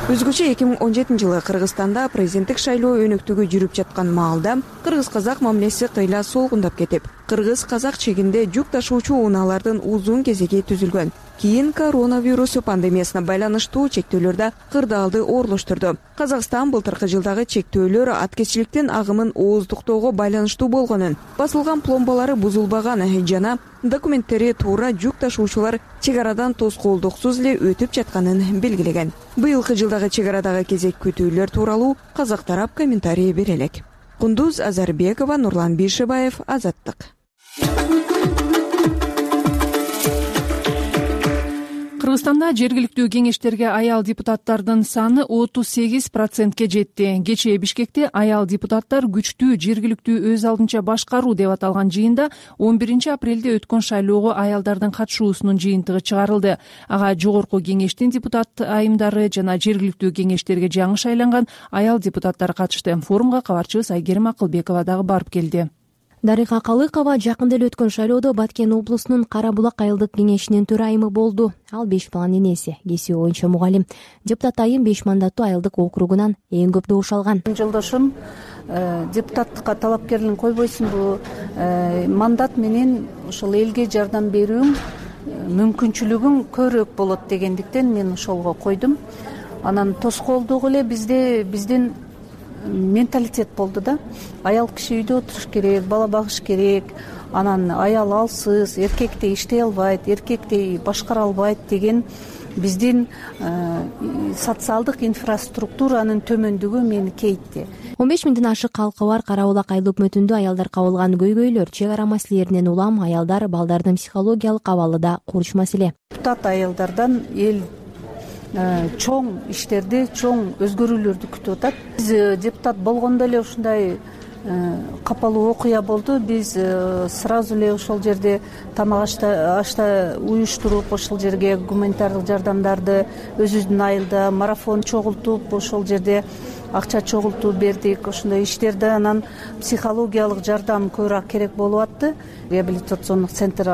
Speaker 18: Өзгөчө эки миң он жетинчи жылы Кыргызстанда президенттик шайлоо өнөктүгү жүрүп жаткан маалда кыргыз-казак мамилеси кыйла солгундап кетип, кыргыз казак чегинде жүк ташуучу унаалардын узун кезеги түзүлгөн. Кийин коронавирус пандемиясына байланыштуу чектөөлөр да кырдаалды ooрлоштурду. Казакстан былтыркы жылдагы чектөөлөр аткезчиликтин агымын ооздуктоого байланыштуу болгонун, басылган пломбалары бузулбаган жана документтери туура жүк ташуучулар чек арадан тоскоолдуксуз эле өтүп жатканын белгилеген. Быйылкы жылдагы чек арадагы кезек күтүүлөр тууралуу казак тарап комментарий бере элек. Кундуз Азарбекова, Нурлан Бишибаев, Азаттык.
Speaker 2: Кыргызстанда жергиликтүү кеңештерге аял депутаттардын саны отуз сегиз процентке жетти. Кечээ Бишкекте аял депутаттар күчтүү жергиликтүү өз алдынча башкаруу деп аталган жыйында он биринчи апрелде өткөн шайлоого аялдардын катышуусунун жыйынтыгы чыгарылды. Ага жогорку кеңештин депутат айымдары жана жергиликтүү кеңештерге жаңы шайланган аял депутаттар катышты. Форумга кабарчыбыз Айгерим Акылбекова дагы барып келди.
Speaker 3: Дарыга Калыкова жакында эле өткөн шайлоодо Баткен облусунун Кара Булак айылдык кеңешинин төрайымы болду. Ал беш баланын энеси, кесиби боюнча мугалим. Депутат айым беш мандаттуу айылдык округунан эң көп добуш алган.
Speaker 11: Жолдошум депутаттыкка талапкерлигин койбойсуңбу, мандат менен ошол элге жардам берүүң мүмкүнчүлүгүң көбүрөөк болот дегендиктен мен ошолго койдум. Анан тоскоолдугу эле бизде биздин менталитет болду да. Аял киши үйдө отуруш керек, бала багыш керек. Анан аял алсыз, эркектей иштей албайт, эркектей башкара албайт деген биздин социалдык инфраструктуранын төмөндүгү мени кейитти.
Speaker 3: он беш миңден ашык калкы бар Кара Булак айыл өкмөтүндө аялдар кабылган көйгөйлөр, чек ара маселелеринен улам аялдар балдардын психологиялык абалы да курч маселе.
Speaker 11: Депутат аялдардан эл чоң иштерди, чоң өзгөрүүлөрдү күтүп атат. Биз депутат болгондо эле ушундай капалуу окуя болду. Биз сразу эле ошол жерде тамак ашта уюштуруп, ошол жерге гуманитардык жардамдарды өзүбүздүн айылда марафон чогултуп, ошол жерде акча чогултуп бердик. Ошондой иштерди анан психологиялык жардам көбүрөөк керек болуп атты. Реабилитациондук центр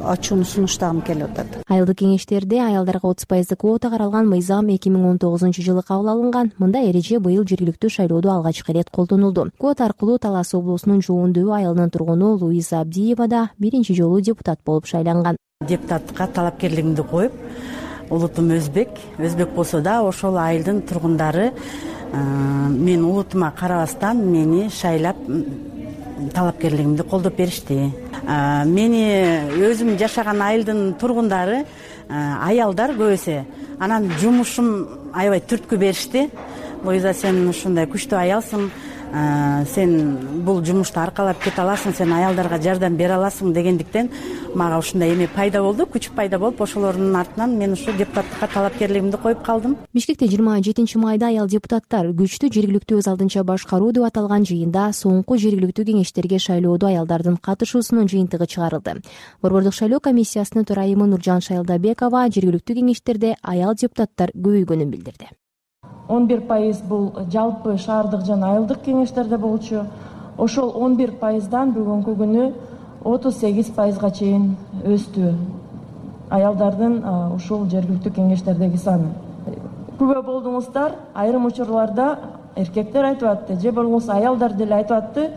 Speaker 11: ачууну сунуштагым келип атат.
Speaker 3: Айылдык кеңештерде аялдарга отуз пайыздык квота каралган мыйзам эки миң он тогузунчу жылы кабыл алынган. Мындай эреже быйыл жергиликтүү шайлоодо алгачкы ирет колдонулду. Квота аркылуу Талас облусунун Жуундөбү айылынын тургуну Луиза Абдиева да биринчи жолу депутат болуп шайланган.
Speaker 12: Депутатка талапкерлигимди коюп, улутум өзбек, өзбек болсо да ошол айылдын тургундары мен улутума карабастан мени шайлап талапкерлигимди колдоп беришти. Мени өзүм жашаган айылдын тургундары аялдар көбүсү. Анан жумушум аябай түрткү беришти. Луиза, сен ушундай күчтүү аялсың, сен бул жумушту аркалап кете аласың, сен аялдарга жардам бере аласың дегендиктен мага ушундай эме пайда болду, күч пайда болуп, ошолордун артынан мен ушу депутаттыкка талапкерлигимди коюп калдым.
Speaker 3: Бишкекте жыйырма жетинчи майда аял депутаттар күчтүү жергиликтүү өз алдынча башкаруу деп аталган жыйында соңку жергиликтүү кеңештерге шайлоодо аялдардын катышуусунун жыйынтыгы чыгарылды. Борбордук шайлоо комиссиясынын төрайымы Нуржан Шайлдабекова жергиликтүү кеңештерде аял депутаттар көбөйгөнүн билдирди.
Speaker 23: он бир пайыз бул жалпы шаардык жана айылдык кеңештерде болчу. Ошол он бир пайыздан бүгүнкү күнү отуз сегиз пайызга чейин өстү аялдардын ушул жергиликтүү кеңештердеги саны. Күбө болдуңуздар, айрым учурларда эркектер айтып атты, же болбосо аялдар деле айтып атты,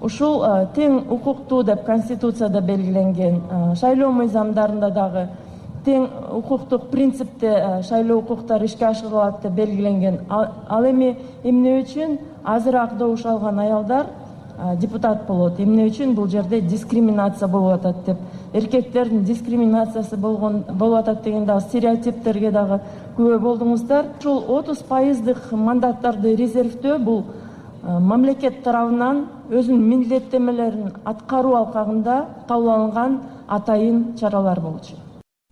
Speaker 23: ушул тең укуктуу деп конституцияда белгиленген, шайлоо мыйзамдарында дагы тең укуктук принципте шайлоо укуктары ишке ашырылат деп белгиленген. Ал эми эмне үчүн азыраак добуш алган аялдар депутат болот? Эмне үчүн бул жерде дискриминация болуп атат деп, эркектердин дискриминациясы болгон болуп атат деген дагы стереотиптерге дагы күбө болдуңуздар. Ушул отуз пайыздык мандаттарды резервдөө бул мамлекет тарабынан өзүнүн милдеттенмелерин аткаруу алкагында кабыл алынган атайын чаралар болчу.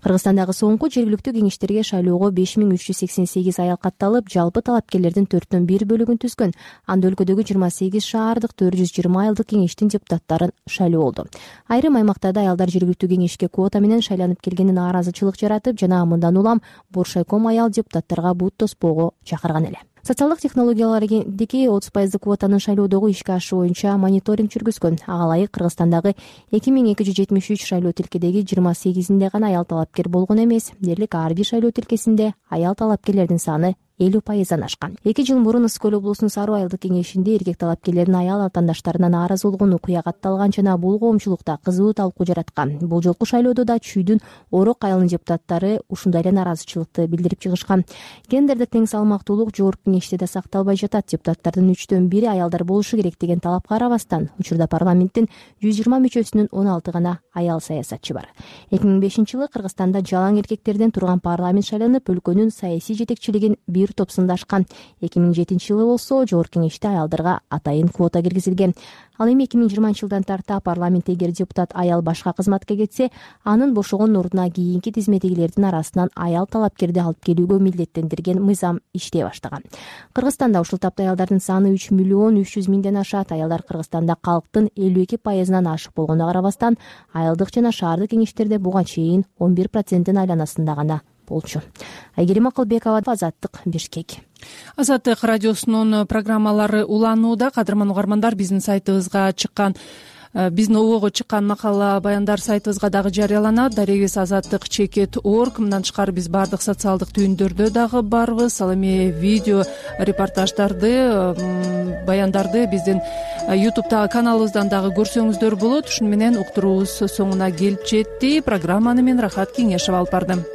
Speaker 3: Кыргызстандагы соңку жергиликтүү кеңештерге шайлоого беш миң үч жүз сексен сегиз аял катталып, жалпы талапкерлердин төрттөн бир бөлүгүн түзгөн. Анда өлкөдөгү жыйырма сегиз шаардык төрт жүз жыйырма айылдык кеңештин депутаттарын шайлоо болду. Айрым аймактарда аялдар жергиликтүү кеңешке квота менен шайланып келгени нааразычылык жаратып, жана мындан улам Боршайком аял депутаттарга бут тоспоого чакырган эле. Социалдык технологиялар агенттиги отуз пайыздык квотанын шайлоодогу ишке ашуу боюнча мониторинг жүргүзгөн. Ага ылайык Кыргызстандагы эки миң эки жүз жетимиш үч шайлоо тилкедеги жыйырма сегизинде гана аял талапкер болгон эмес, дээрлик ар бир шайлоо тилкесинде аял талапкерлердин саны элүү пайыздан ашкан. эки жыл мурун Ысык Көл облусунун Саруу айылдык кеңешинде эркек талапкерлердин аял атаандаштарына нааразы болгон окуя катталган жана бул коомчулукта кызуу талкуу жараткан. Бул жолку шайлоодо да Чүйдүн Орок айылынын депутаттары ушундай эле нааразычылыкты билдирип чыгышкан. Гендердик тең салмактуулук жогорку кеңеште да сакталбай жатат. Депутаттардын үчтөн бири аялдар болушу керек деген талапка карабастан учурда парламенттин жүз жыйырма мүчөсүнүн он алты гана аял саясатчы бар. эки миң бешинчи жылы Кыргызстанда жалаң эркектерден турган парламент шайланып, өлкөнүн саясий жетекчилигин бир топ сындашкан. эки миң жетинчи жылы болсо жогорку кеңеште аялдарга атайын квота киргизилген. Ал эми эки миң жыйырманчы жылдан тарта парламентте эгер депутат аял башка кызматка кетсе, анын бошогон ордуна кийинки тизмедегилердин арасынан аял талапкерди алып келүүгө милдеттендирген мыйзам иштей баштаган. Кыргызстанда ушул тапта аялдардын саны үч миллион үч жүз миңден ашат. Аялдар Кыргызстанда калктын элүү эки пайызынан ашык болгонуна карабастан, айылдык жана шаардык кеңештерде буга чейин он бир проценттин айланасында гана болчу. Айгерим Акылбекова, Азаттык, Бишкек.
Speaker 2: Азаттык радиосунун программалары уланууда. Кадырман угармандар, биздин сайтыбызга чыккан биздин обого чыккан макала баяндар сайтыбызга дагы жарыяланат. Дарегибиз азаттык чекит точка орг. Мындан тышкары биз баардык социалдык түйүндөрдө дагы барбыз. Ал эми видео репортаждарды, баяндарды биздин ютубтагы каналыбыздан дагы көрсөңүздөр болот. Ушуну менен уктуруубуз соңуна келип жетти. Программаны мен Рахат Кеңешова алып бардым.